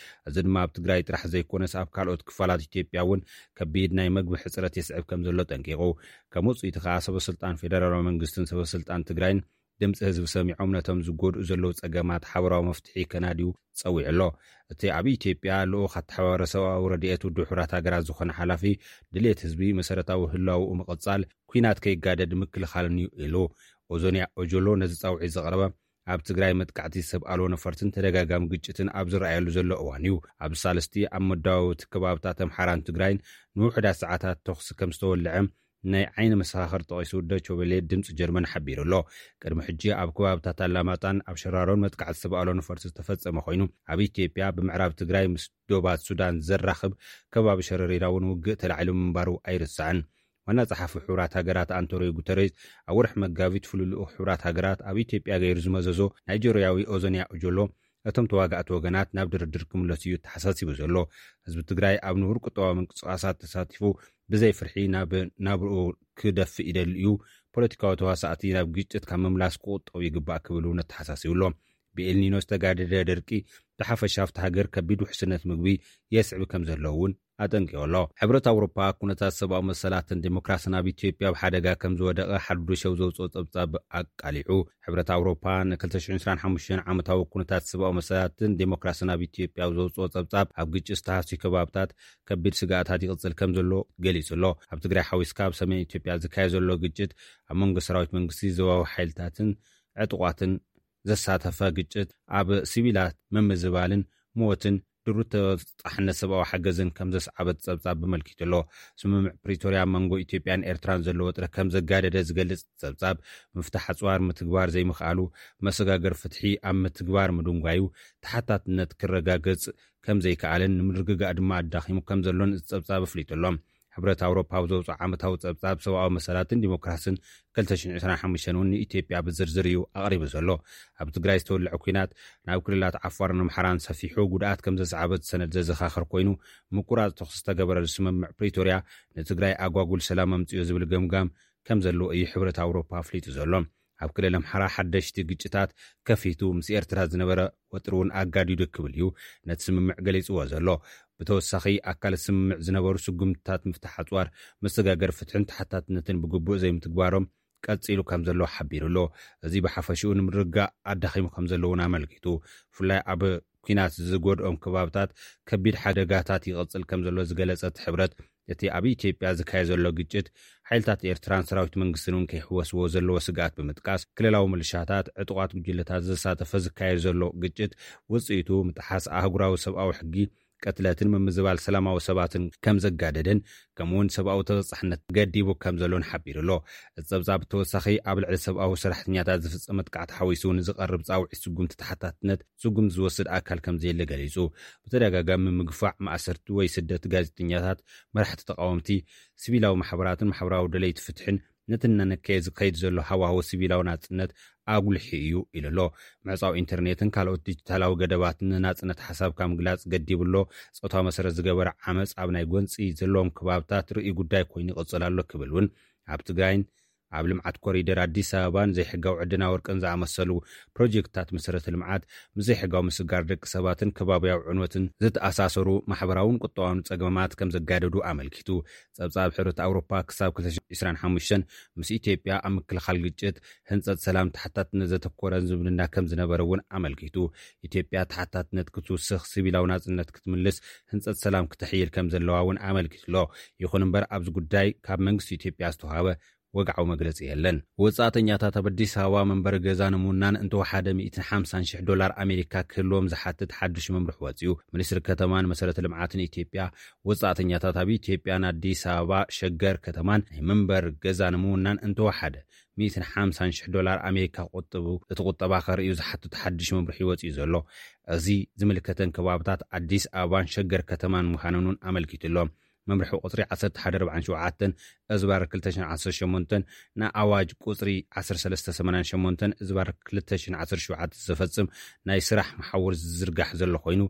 እዚ ድማ ኣብ ትግራይ ጥራሕ ዘይኮነስ ኣብ ካልኦት ክፋላት ኢትዮጵያ እውን ከቢድ ናይ መግቢ ሕፅረት የስዕብ ከም ዘሎ ጠንቂቑ። ከም ውፅኢቱ ከዓ ሰበ ስልጣን ፌደራላዊ መንግስትን ሰበ ስልጣን ትግራይን ድምፂ ህዝቢ ሰሚዖም ነቶም ዝጎድኡ ዘለዉ ፀገማት ሓበራዊ መፍትሒ ከናድዩ ፀዊዑ ኣሎ። እቲ ኣብ ኢትዮጵያ ልኡኽ ኣተሓባባሪ ሰብኣዊ ረድኤት ውድብ ሕቡራት ሃገራት ዝኾነ ሓላፊ፣ ድሌት ህዝቢ መሰረታዊ ህላውኡ ምቕፃል፣ ኲናት ከይጋደድ ምክልኻልን እዩ ኢሉ። ኦዞንያ ኦጆሎ ነዚ ፃውዒት ዘቕረበ ኣብ ትግራይ መጥቃዕቲ ሰብ ኣልቦ ነፈርትን ተደጋጋሚ ግጭትን ኣብ ዝረኣየሉ ዘሎ እዋን እዩ። ኣብ ሳልስቲ ኣብ መዳወብቲ ከባብታት ኣምሓራን ትግራይን ንውሑዳት ሰዓታት ተኹሲ ከም ዝተወልዐ ናይ ዓይኒ መሰኻኽር ጠቒሱ ዶይቼ ቬለ ድምፂ ጀርመን ሓቢሩ ኣሎ። ቅድሚ ሕጂ ኣብ ከባብታት ኣላማጣን ኣብ ሸራሮን መጥቃዕቲ ሰብ ኣልቦ ነፈርቲ ዝተፈጸመ ኮይኑ፣ ኣብ ኢትዮጵያ ብምዕራብ ትግራይ ምስ ዶባት ሱዳን ዘራኽብ ከባቢ ሸረሪራ እውን ውግእ ተላዒሉ ምንባሩ ኣይርሳዕን። ዋና ጸሓፊ ሕቡራት ሃገራት ኣንቶኒዮ ጉተሬዝ ኣብ ወርሒ መጋቢት ፍሉይ ልኡኽ ሕቡራት ሃገራት ኣብ ኢትዮጵያ ገይሩ ዝመዘዞ ናይጀርያዊ ኦዞንያ ኦጆሎ፣ እቶም ተዋጋእቲ ወገናት ናብ ድርድር ክምለሱ እዩ ተሓሳሲቡ ዘሎ። ህዝቢ ትግራይ ኣብ ንቡር ቁጠባዊ ምንቅስቓሳት ተሳቲፉ ብዘይ ፍርሒ ናብ ናብርኡ ክደፍእ ይደሊ እዩ። ፖለቲካዊ ተዋሳእቲ ናብ ግጭት ካብ ምምላስ ክቁጠቡ ይግባእ ክብል እውን ኣተሓሳሲቡ ኣሎ። ብኤልኒኖ ዝተጋደደ ደርቂ ብሓፈሻ ኣብቲ ሃገር ከቢድ ውሕስነት ምግቢ የስዕብ ከም ዘሎ እውን ኣጠንቂቑ ኣሎ። ሕብረት ኣውሮፓ ኩነታት ሰብኣዊ መሰላትን ዴሞክራስን ኣብ ኢትዮጵያ ኣብ ሓደጋ ከም ዝወደቐ ሓዱሽ ኣብ ዘውፅኦ ጸብጻብ ኣቃሊዑ። ሕብረት ኣውሮፓ ን ክልተ ሽሕን ዕስራን ሓሙሽተን ዓመታዊ ኩነታት ሰብኣዊ መሰላትን ዴሞክራስን ኣብ ኢትዮጵያ ኣብ ዘውፅኦ ጸብጻብ፣ ኣብ ግጭት ዝተሃስዩ ከባብታት ከቢድ ስግኣታት ይቕጽል ከም ዘሎ ገሊጹ ኣሎ። ኣብ ትግራይ ሓዊስካ ኣብ ሰሜን ኢትዮጵያ ዝካየድ ዘሎ ግጭት ኣብ መንጎ ሰራዊት መንግስቲ፣ ዞባዊ ሓይልታትን ዕጡቓትን ዘሳተፈ ግጭት ኣብ ሲቪላት ምምዝባልን ሞትን ድሩት ተበጻሕነት ሰብኣዊ ሓገዝን ከም ዘስዓበ እቲ ጸብጻብ ኣመልኪቱ ኣሎ። ስምምዕ ፕሪቶርያ ኣብ መንጎ ኢትዮጵያን ኤርትራን ዘሎ ወጥሪ ከም ዘጋደደ ዝገልጽ ጸብጻብ፣ ምፍታሕ ኣጽዋር ምትግባር ዘይምኽኣሉ፣ መሰጋገር ፍትሒ ኣብ ምትግባር ምድንጓዩ፣ ተሓታትነት ክረጋገጽ ከም ዘይከኣለን ንምርግጋእ ድማ ኣዳኺሙ ከም ዘሎን እቲ ጸብጻብ ኣፍሊጡ ኣሎ። ሕብረት ኣውሮፓ ኣብ ዘውፅኦ ዓመታዊ ጸብጻብ ሰብኣዊ መሰላትን ዲሞክራስን ክልተ ሽሕን ዕስራን ሓሙሽተን እውን ንኢትዮጵያ ብዝርዝር እዩ ኣቕሪቡ ዘሎ። ኣብ ትግራይ ዝተወልዐ ኲናት ናብ ክልላት ዓፋርን ኣምሓራን ሰፊሑ ጉድኣት ከም ዘስዓበ እቲ ሰነድ ዘዘኻኽር ኮይኑ፣ ምቁራጽ ተኹሲ ዝተገበረሉ ስምምዕ ፕሪቶርያ ንትግራይ ኣጓጉል ሰላም ኣምፅኦ ዝብል ገምጋም ከም ዘለዎ እዩ ሕብረት ኣውሮፓ ኣፍሊጡ ዘሎ። ኣብ ክልል ኣምሓራ ሓደሽቲ ግጭታት ከፊቱ ምስ ኤርትራ ዝነበረ ወጥሪ እውን ኣጋዲዱ ክብል እዩ ነቲ ስምምዕ ገሊጽዎ ዘሎ። ብተወሳኺ ኣካል ስምምዕ ዝነበሩ ስጉምትታት ምፍታሕ ኣጽዋር፣ መሰጋገር ፍትሕን ተሓታትነትን ብግቡእ ዘይምትግባሮም ቀጺሉ ከም ዘሎ ሓቢሩ ኣሎ። እዚ ብሓፈሽኡ ንምርግጋእ ኣዳኺሙ ከም ዘሎ እውን ኣመልኪቱ። ብፍላይ ኣብ ኲናት ዝጎድኦም ከባብታት ከቢድ ሓደጋታት ይቐጽል ከም ዘሎ ዝገለጸ እቲ ሕብረት፣ እቲ ኣብ ኢትዮጵያ ዝካየድ ዘሎ ግጭት ሓይልታት ኤርትራን ሰራዊት መንግስትን እውን ከይሕወስዎ ዘለዎ ስግኣት ብምጥቃስ፣ ክልላዊ ምልሻታት፣ ዕጡቓት ጉጅለታት ዘሳተፈ ዝካየድ ዘሎ ግጭት ውጽኢቱ ምጥሓስ ኣህጉራዊ ሰብኣዊ ሕጊ፣ ቅትለትን ምምዝባል ሰላማዊ ሰባትን ከም ዘጋደደን፣ ከምኡውን ሰብኣዊ ተበጻሕነት ገዲቡ ከም ዘሎን ሓቢሩ ኣሎ። እቲ ጸብጻብ ብተወሳኺ ኣብ ልዕሊ ሰብኣዊ ሰራሕተኛታት ዝፍጸም መጥቃዕቲ ሓዊሱ ንዝቐርብ ጻውዒት ስጉምቲ ተሓታትነት ስጉምቲ ዝወስድ ኣካል ከም ዘየለ ገሊጹ። ብተደጋጋሚ ምግፋዕ፣ ማእሰርቲ ወይ ስደት ጋዜጠኛታት፣ መራሕቲ ተቃወምቲ፣ ሲቪላዊ ማሕበራትን ማሕበራዊ ደለይቲ ፍትሕን ነቲ እናነከየ ዝኸይድ ዘሎ ሃዋህው ሲቪላዊ ናጽነት ኣጉልሒ እዩ ኢሉ ኣሎ። ምዕጻው ኢንተርኔትን ካልኦት ዲጂታላዊ ገደባትን ንናጽነት ሓሳብካ ምግላጽ ገዲቡ ኣሎ። ጾታዊ መሰረት ዝገበረ ዓመጽ ኣብ ናይ ጎንጺ ዘለዎም ከባብታት ርእዩ ጉዳይ ኮይኑ ይቕጽል ኣሎ ክብል እውን ኣብ ትግራይን ኣብ ልምዓት ኮሪደር ኣዲስ ኣበባን ዘይሕጋዊ ዕድና ወርቅን ዝኣመሰሉ ፕሮጀክትታት መሰረተ ልምዓት ምስ ዘይሕጋዊ ምስጋር ደቂ ሰባትን ከባብያዊ ዕንወትን ዝተኣሳሰሩ ማሕበራውን ቁጠባውን ጸገማት ከም ዘጋደዱ ኣመልኪቱ። ጸብጻብ ሕብረት ኣውሮፓ ክሳብ ክልተ ሽሕን ዕስራን ሓሙሽተን ምስ ኢትዮጵያ ኣብ ምክልኻል ግጭት፣ ህንጸት ሰላም፣ ተሓታትነት ዘተኮረን ዝምድና ከም ዝነበረ እውን ኣመልኪቱ። ኢትዮጵያ ተሓታትነት ክትውስኽ፣ ሲቪላዊ ናጽነት ክትምልስ፣ ህንጸት ሰላም ክተሕይል ከም ዘለዋ እውን ኣመልኪቱ ኣሎ። ይኹን እምበር ኣብዚ ጉዳይ ካብ መንግስቲ ኢትዮጵያ ዝተዋህበ ወግዓዊ መግለጺ የለን። ወጻእተኛታት ኣብ ኣዲስ ኣበባ መንበሪ ገዛ ንምውናን እንተወሓደ ሚእትን ሓምሳን ሽሕ ዶላር ኣሜሪካ ክህልዎም ዝሓትት ሓድሽ መምርሒ ወጺኡ። ሚኒስትሪ ከተማን መሰረተ ልምዓትን ኢትዮጵያ፣ ወጻእተኛታት ኣብ ኢትዮጵያን ኣዲስ ኣበባ ሸገር ከተማን ናይ መንበሪ ገዛ ንምውናን እንተወሓደ ሚእትን ሓምሳን ሽሕ ዶላር ኣሜሪካ ክቑጥቡ፣ እቲ ቁጠባ ከርእዩ ዝሓትት ሓድሽ መምርሒ ወጺኡ ዘሎ። እዚ ዝምልከተን ከባብታት ኣዲስ ኣበባን ሸገር ከተማን ምዃነን እውን ኣመልኪቱ ኣሎ። መምርሒ ቁጽሪ ዓሰርተ ሓደ ኣርባዓን ሸውዓተን እዝባር ክልተ ሽሕን ዓሰርተ ሸሞንተን ንኣዋጅ ቁጽሪ ዓሰርተ ሰለስተ ሰማንያን ሸሞንተን እዝባር ክልተ ሽሕን ዓሰርተ ሸውዓተን ዘፈጽም ናይ ስራሕ መሓውር ዝዝርጋሕ ዘሎ ኮይኑ፣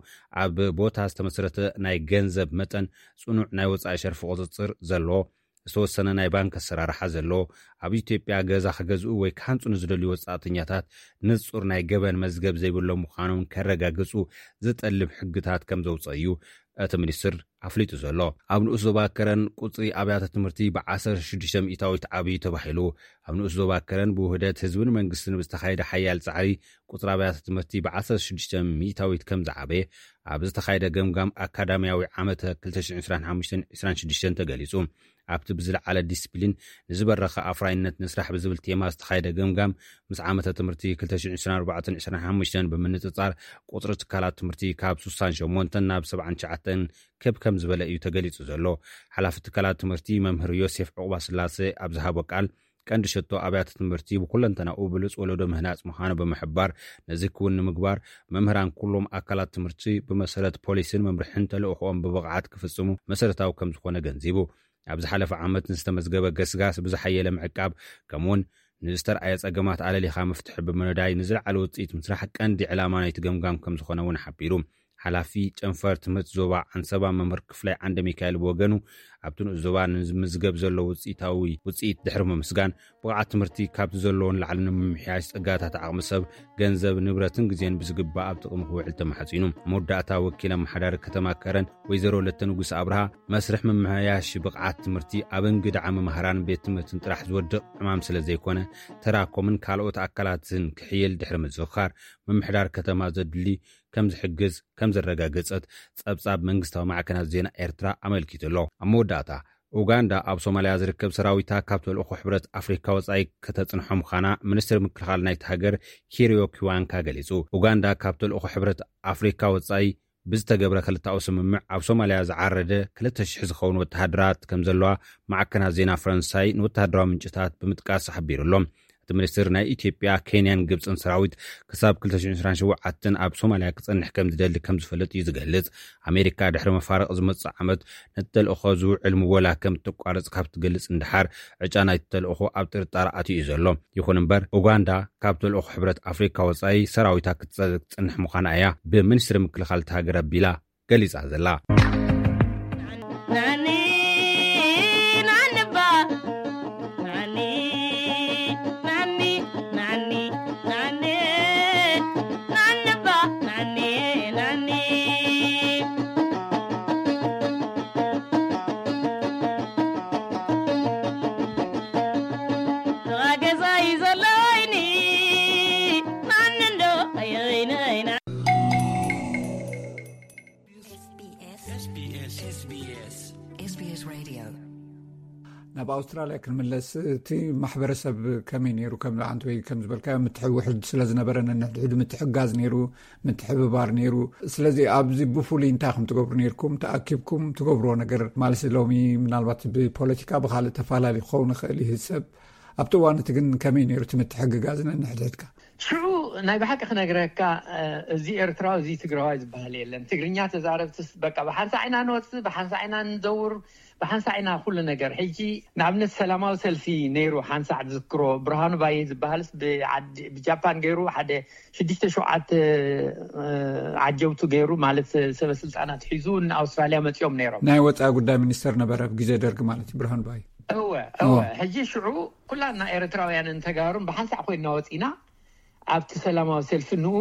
ኣብ ቦታ ዝተመስረተ ናይ ገንዘብ መጠን፣ ጽኑዕ ናይ ወጻኢ ሸርፊ ቁጽጽር ዘለዎ፣ ዝተወሰነ ናይ ባንክ ኣሰራርሓ ዘለዎ፣ ኣብ ኢትዮጵያ ገዛ ክገዝኡ ወይ ክሃንጹ ንዝደልዩ ወጻእተኛታት ንጹር ናይ ገበን መዝገብ ዘይብሎም ምዃኖም ከረጋግጹ ዝጠልብ ሕግታት ከም ዘውጽአ እዩ እቲ ሚኒስትር ኣፍሊጡ ዘሎ። ኣብ ንኡስ ዞባ ከረን ቁጽሪ ኣብያተ ትምህርቲ ብ16% ዓብዩ ተባሂሉ። ኣብ ንኡስ ዞባ ከረን ብውህደት ህዝብን መንግስትን ብዝተኻየደ ሓያል ጻዕሪ ቁጽሪ ኣብያተ ትምህርቲ ብ16% ከም ዝዓበየ ኣብ ዝተኻየደ ገምጋም ኣካዳሚያዊ ዓመተ ክልተ ሽሕን ዕስራን ሓሙሽተን ዕስራን ሽዱሽተን ተገሊጹ። ኣብቲ ብዝለዓለ ዲስፕሊን ንዝበረኸ ኣፍራይነት ንስራሕ ብዝብል ቴማ ዝተኻየደ ገምጋም፣ ምስ ዓመተ ትምህርቲ ክልተ ሽሕን ዕስራን ኣርባዕተን ዕስራን ሓሙሽተን ብምንጽጻር፣ ቁጽሪ ትካላት ትምህርቲ ካብ ስሳን ሸሞንተን ናብ ሰብዓን ትሽዓተን ክብ ከም ዝበለ እዩ ተገሊጹ ዘሎ። ሓላፊ ትካላት ትምህርቲ መምህር ዮሴፍ ዕቑባስላሴ ኣብ ዝሃቦ ቃል፣ ቀንዲ ሸቶ ኣብያተ ትምህርቲ ብኩለንተናኡ ብሉጽ ወለዶ ምህናጽ ምዃኑ ብምሕባር፣ ነዚ ክውን ንምግባር መምህራን ኩሎም ኣካላት ትምህርቲ ብመሰረት ፖሊሲን መምርሕን ተልእኾኦም ብብቕዓት ክፍጽሙ መሰረታዊ ከም ዝኾነ ገንዚቡ። ኣብ ዝሓለፈ ዓመት ንዝተመዝገበ ገስጋስ ብዝሓየለ ምዕቃብ፣ ከምኡውን ንዝተርኣየ ጸገማት ኣለሊኻ መፍትሒ ብምንዳይ ንዝለዓለ ውጽኢት ምስራሕ ቀንዲ ዕላማ ናይቲ ገምጋም ከም ዝኾነ እውን ሓቢሩ። ሓላፊ ጨንፈር ትምህርቲ ዞባ ዓንሰባ መምህር ክፍላይ ዓንደ ሚካኤል ብወገኑ፣ ኣብቲ ንኡስ ዞባ ንምዝገብ ዘሎ ውጽኢታዊ ውጽኢት ድሕሪ ምምስጋን፣ ብቕዓት ትምህርቲ ካብቲ ዘለዎን ላዕሊ ንምምሕያሽ ጸጋታት ዓቕሚ ሰብ፣ ገንዘብ፣ ንብረትን ግዜን ብዝግባእ ኣብ ጥቕሚ ክውዕል ተማሕጺኑ። መወዳእታ ወኪል ኣመሓዳሪ ከተማ ከረን ወይዘሮ ለተ ንጉስ ኣብርሃ፣ መስርሕ ምምሕያሽ ብቕዓት ትምህርቲ ኣብ እንግድዓ መምሃራን ቤት ትምህርትን ጥራሕ ዝወድቕ ዕማም ስለ ዘይኮነ፣ ተራኮምን ካልኦት ኣካላትን ክሕየል ድሕሪ ምዝኽኻር፣ ምምሕዳር ከተማ ዘድሊ ከም ዝሕግዝ ከም ዘረጋገጸት ጸብጻብ መንግስታዊ ማዕከናት ዜና ኤርትራ ኣመልኪቱ ኣሎ። ኣብ መወዳእታ፣ ኡጋንዳ ኣብ ሶማልያ ዝርከብ ሰራዊታ ካብ ተልእኾ ሕብረት ኣፍሪካ ወጻኢ ከተጽንሖ ምዃና ሚኒስትሪ ምክልኻል ናይቲ ሃገር ኪሪዮ ኪዋንካ ገሊጹ። ኡጋንዳ ካብ ተልእኾ ሕብረት ኣፍሪካ ወጻኢ ብዝተገብረ ክልተኣዊ ስምምዕ ኣብ ሶማልያ ዝዓረደ ክልተ ሽሕ ዝኸውን ወተሃደራት ከም ዘለዋ ማዕከናት ዜና ፈረንሳይ ንወተሃደራዊ ምንጭታት ብምጥቃስ ሓቢሩ ኣሎ። እቲ ሚኒስትር ናይ ኢትዮጵያ፣ ኬንያን ግብጽን ሰራዊት ክሳብ ክልተ ሽሕን ዕስራን ሸውዓተን ኣብ ሶማልያ ክጸንሕ ከም ዝደሊ ከም ዝፈልጥ እዩ ዝገልጽ። ኣሜሪካ ድሕሪ መፋረቕ ዝመጽእ ዓመት ነቲ ተልእኾ ዝውዕል ምወላ ከም እተቋርጽ ካብ ትገልጽ እንድሓር፣ ዕጫ ናይቲ ተልእኾ ኣብ ጥርጣረ ኣትዩ እዩ ዘሎ። ይኹን እምበር፣ ኡጋንዳ ካብ ተልእኾ ሕብረት ኣፍሪካ ወጻኢ ሰራዊታ ክትጸ-፣ ክትጸንሕ ምዃና እያ ብሚኒስትሪ ምክልኻል እታ ሃገር ኣቢላ ገሊጻ ዘላ። ናብ ኣውስትራልያ ክንምለስ፣ እቲ ማሕበረሰብ ከመይ ነይሩ? ከም ዓንተ ወይ ከም ዝበልካዮ፣ ምትሕውሕድ ስለ ዝነበረ፣ ነንሕድሕዱ ምትሕጋዝ ነይሩ፣ ምትሕብባር ነይሩ። ስለዚ ኣብዚ ብፍሉይ እንታይ ኢኹም ትገብሩ ነይርኩም? ተኣኪብኩም ትገብርዎ ነገር ማለት፣ ሎሚ ምናልባት ብፖለቲካ ብኻልእ ተፈላለዩ ክኸውን ይኽእል እዩ ሰብ። ኣብቲ እዋን እቲ ግን ከመይ ነይሩ እቲ ምትሕግጋዝ ነንሕድሕድካ? ሽዑ ናይ ብሓቂ ክነግረካ፣ እዚ ኤርትራዊ፣ እዚ ትግራዋይ ዝበሃል የለን። ትግርኛ ተዛረብትስ በቃ ብሓንሳእ ኢና ንወፅእ፣ ብሓንሳእ ኢና ንዘውር፣ ብሓንሳእ ኢና ኩሉ ነገር። ሕጂ ንኣብነት ሰላማዊ ሰልፊ ነይሩ፣ ሓንሳእ ዝዝክሮ፣ ብርሃኑ ባየ ዝበሃልስ ብጃፓን ገይሩ ሓደ ሽዱሽተ ሸውዓተ ዓጀብቱ ገይሩ፣ ማለት ሰበ ስልጣናት ሒዙ ንኣውስትራልያ መፂኦም ነይሮም። ናይ ወፃኢ ጉዳይ ሚኒስተር ነበረ ኣብ ግዜ ደርግ ማለት እዩ ብርሃኑ ባየ። እወ እወ። ሕጂ ሽዑ ኩላና ኤርትራውያንን ተጋሩን ብሓንሳእ ኮይንና ወፂና ኣብቲ ሰላማዊ ሰልፊ ንኡ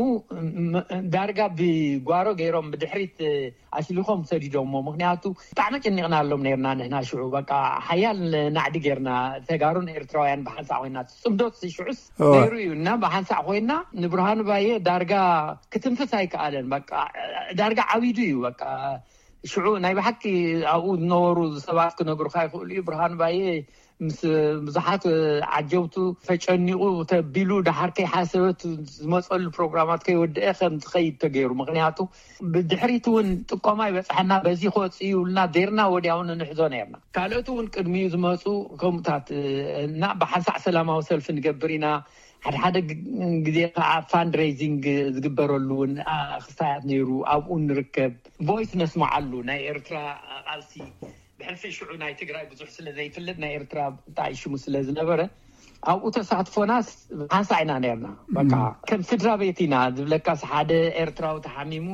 ዳርጋ ብጓሮ ገይሮም ብድሕሪት ኣሽሊኾም ሰዲዶሞ። ምክንያቱ ብጣዕሚ ጨኒቕና ኣሎም ነርና ንሕና ሽዑ። በቃ ሓያል ናዕዲ ገርና ተጋሩን ኤርትራውያን ብሓንሳእ ኮይና። ጽምዶት ሽዑስ ነይሩ እዩ እና ብሓንሳእ ኮይና ንብርሃኑ ባየ ዳርጋ ክትንፍስ ኣይከኣለን። በቃ ዳርጋ ዓቢዱ እዩ። በቃ ሽዑ ናይ ብሓቂ ኣብኡ ዝነበሩ ሰባት ክነግሩካ ይኽእሉ እዩ። ብርሃኑ ባየ ምስ ብዙሓት ዓጀብቱ ተጨኒቑ ተቢሉ ደሓር ከይሓሰበት ዝመፀሉ ፕሮግራማት ከይወደአ ከም ዝኸይድ ተገይሩ። ምክንያቱ ብድሕሪት እውን ጥቆማ ይበፅሐና፣ በዚ ክወፅእ ይብሉና፣ ዴርና ወዲያውን ንሕዞ ነርና። ካልኦት እውን ቅድሚኡ ዝመፁ ከምኡታት እና ብሓንሳዕ ሰላማዊ ሰልፊ ንገብር ኢና። ሓደ ሓደ ግዜ ከዓ ፋንድሬዚንግ ዝግበረሉ እውን ክስታያት ነይሩ። ኣብኡ ንርከብ፣ ቮይስ ነስማዓሉ ናይ ኤርትራ ቃልሲ ብሕልፊ ሽዑ ናይ ትግራይ ብዙሕ ስለ ዘይፍልጥ ናይ ኤርትራ ብጣይ ሽሙ ስለ ዝነበረ ኣብኡ ተሳትፎናስ ሓንሳ ኢና ነርና። በቃ ከም ስድራ ቤት ኢና ዝብለካስ ሓደ ኤርትራዊ ተሓሚሙ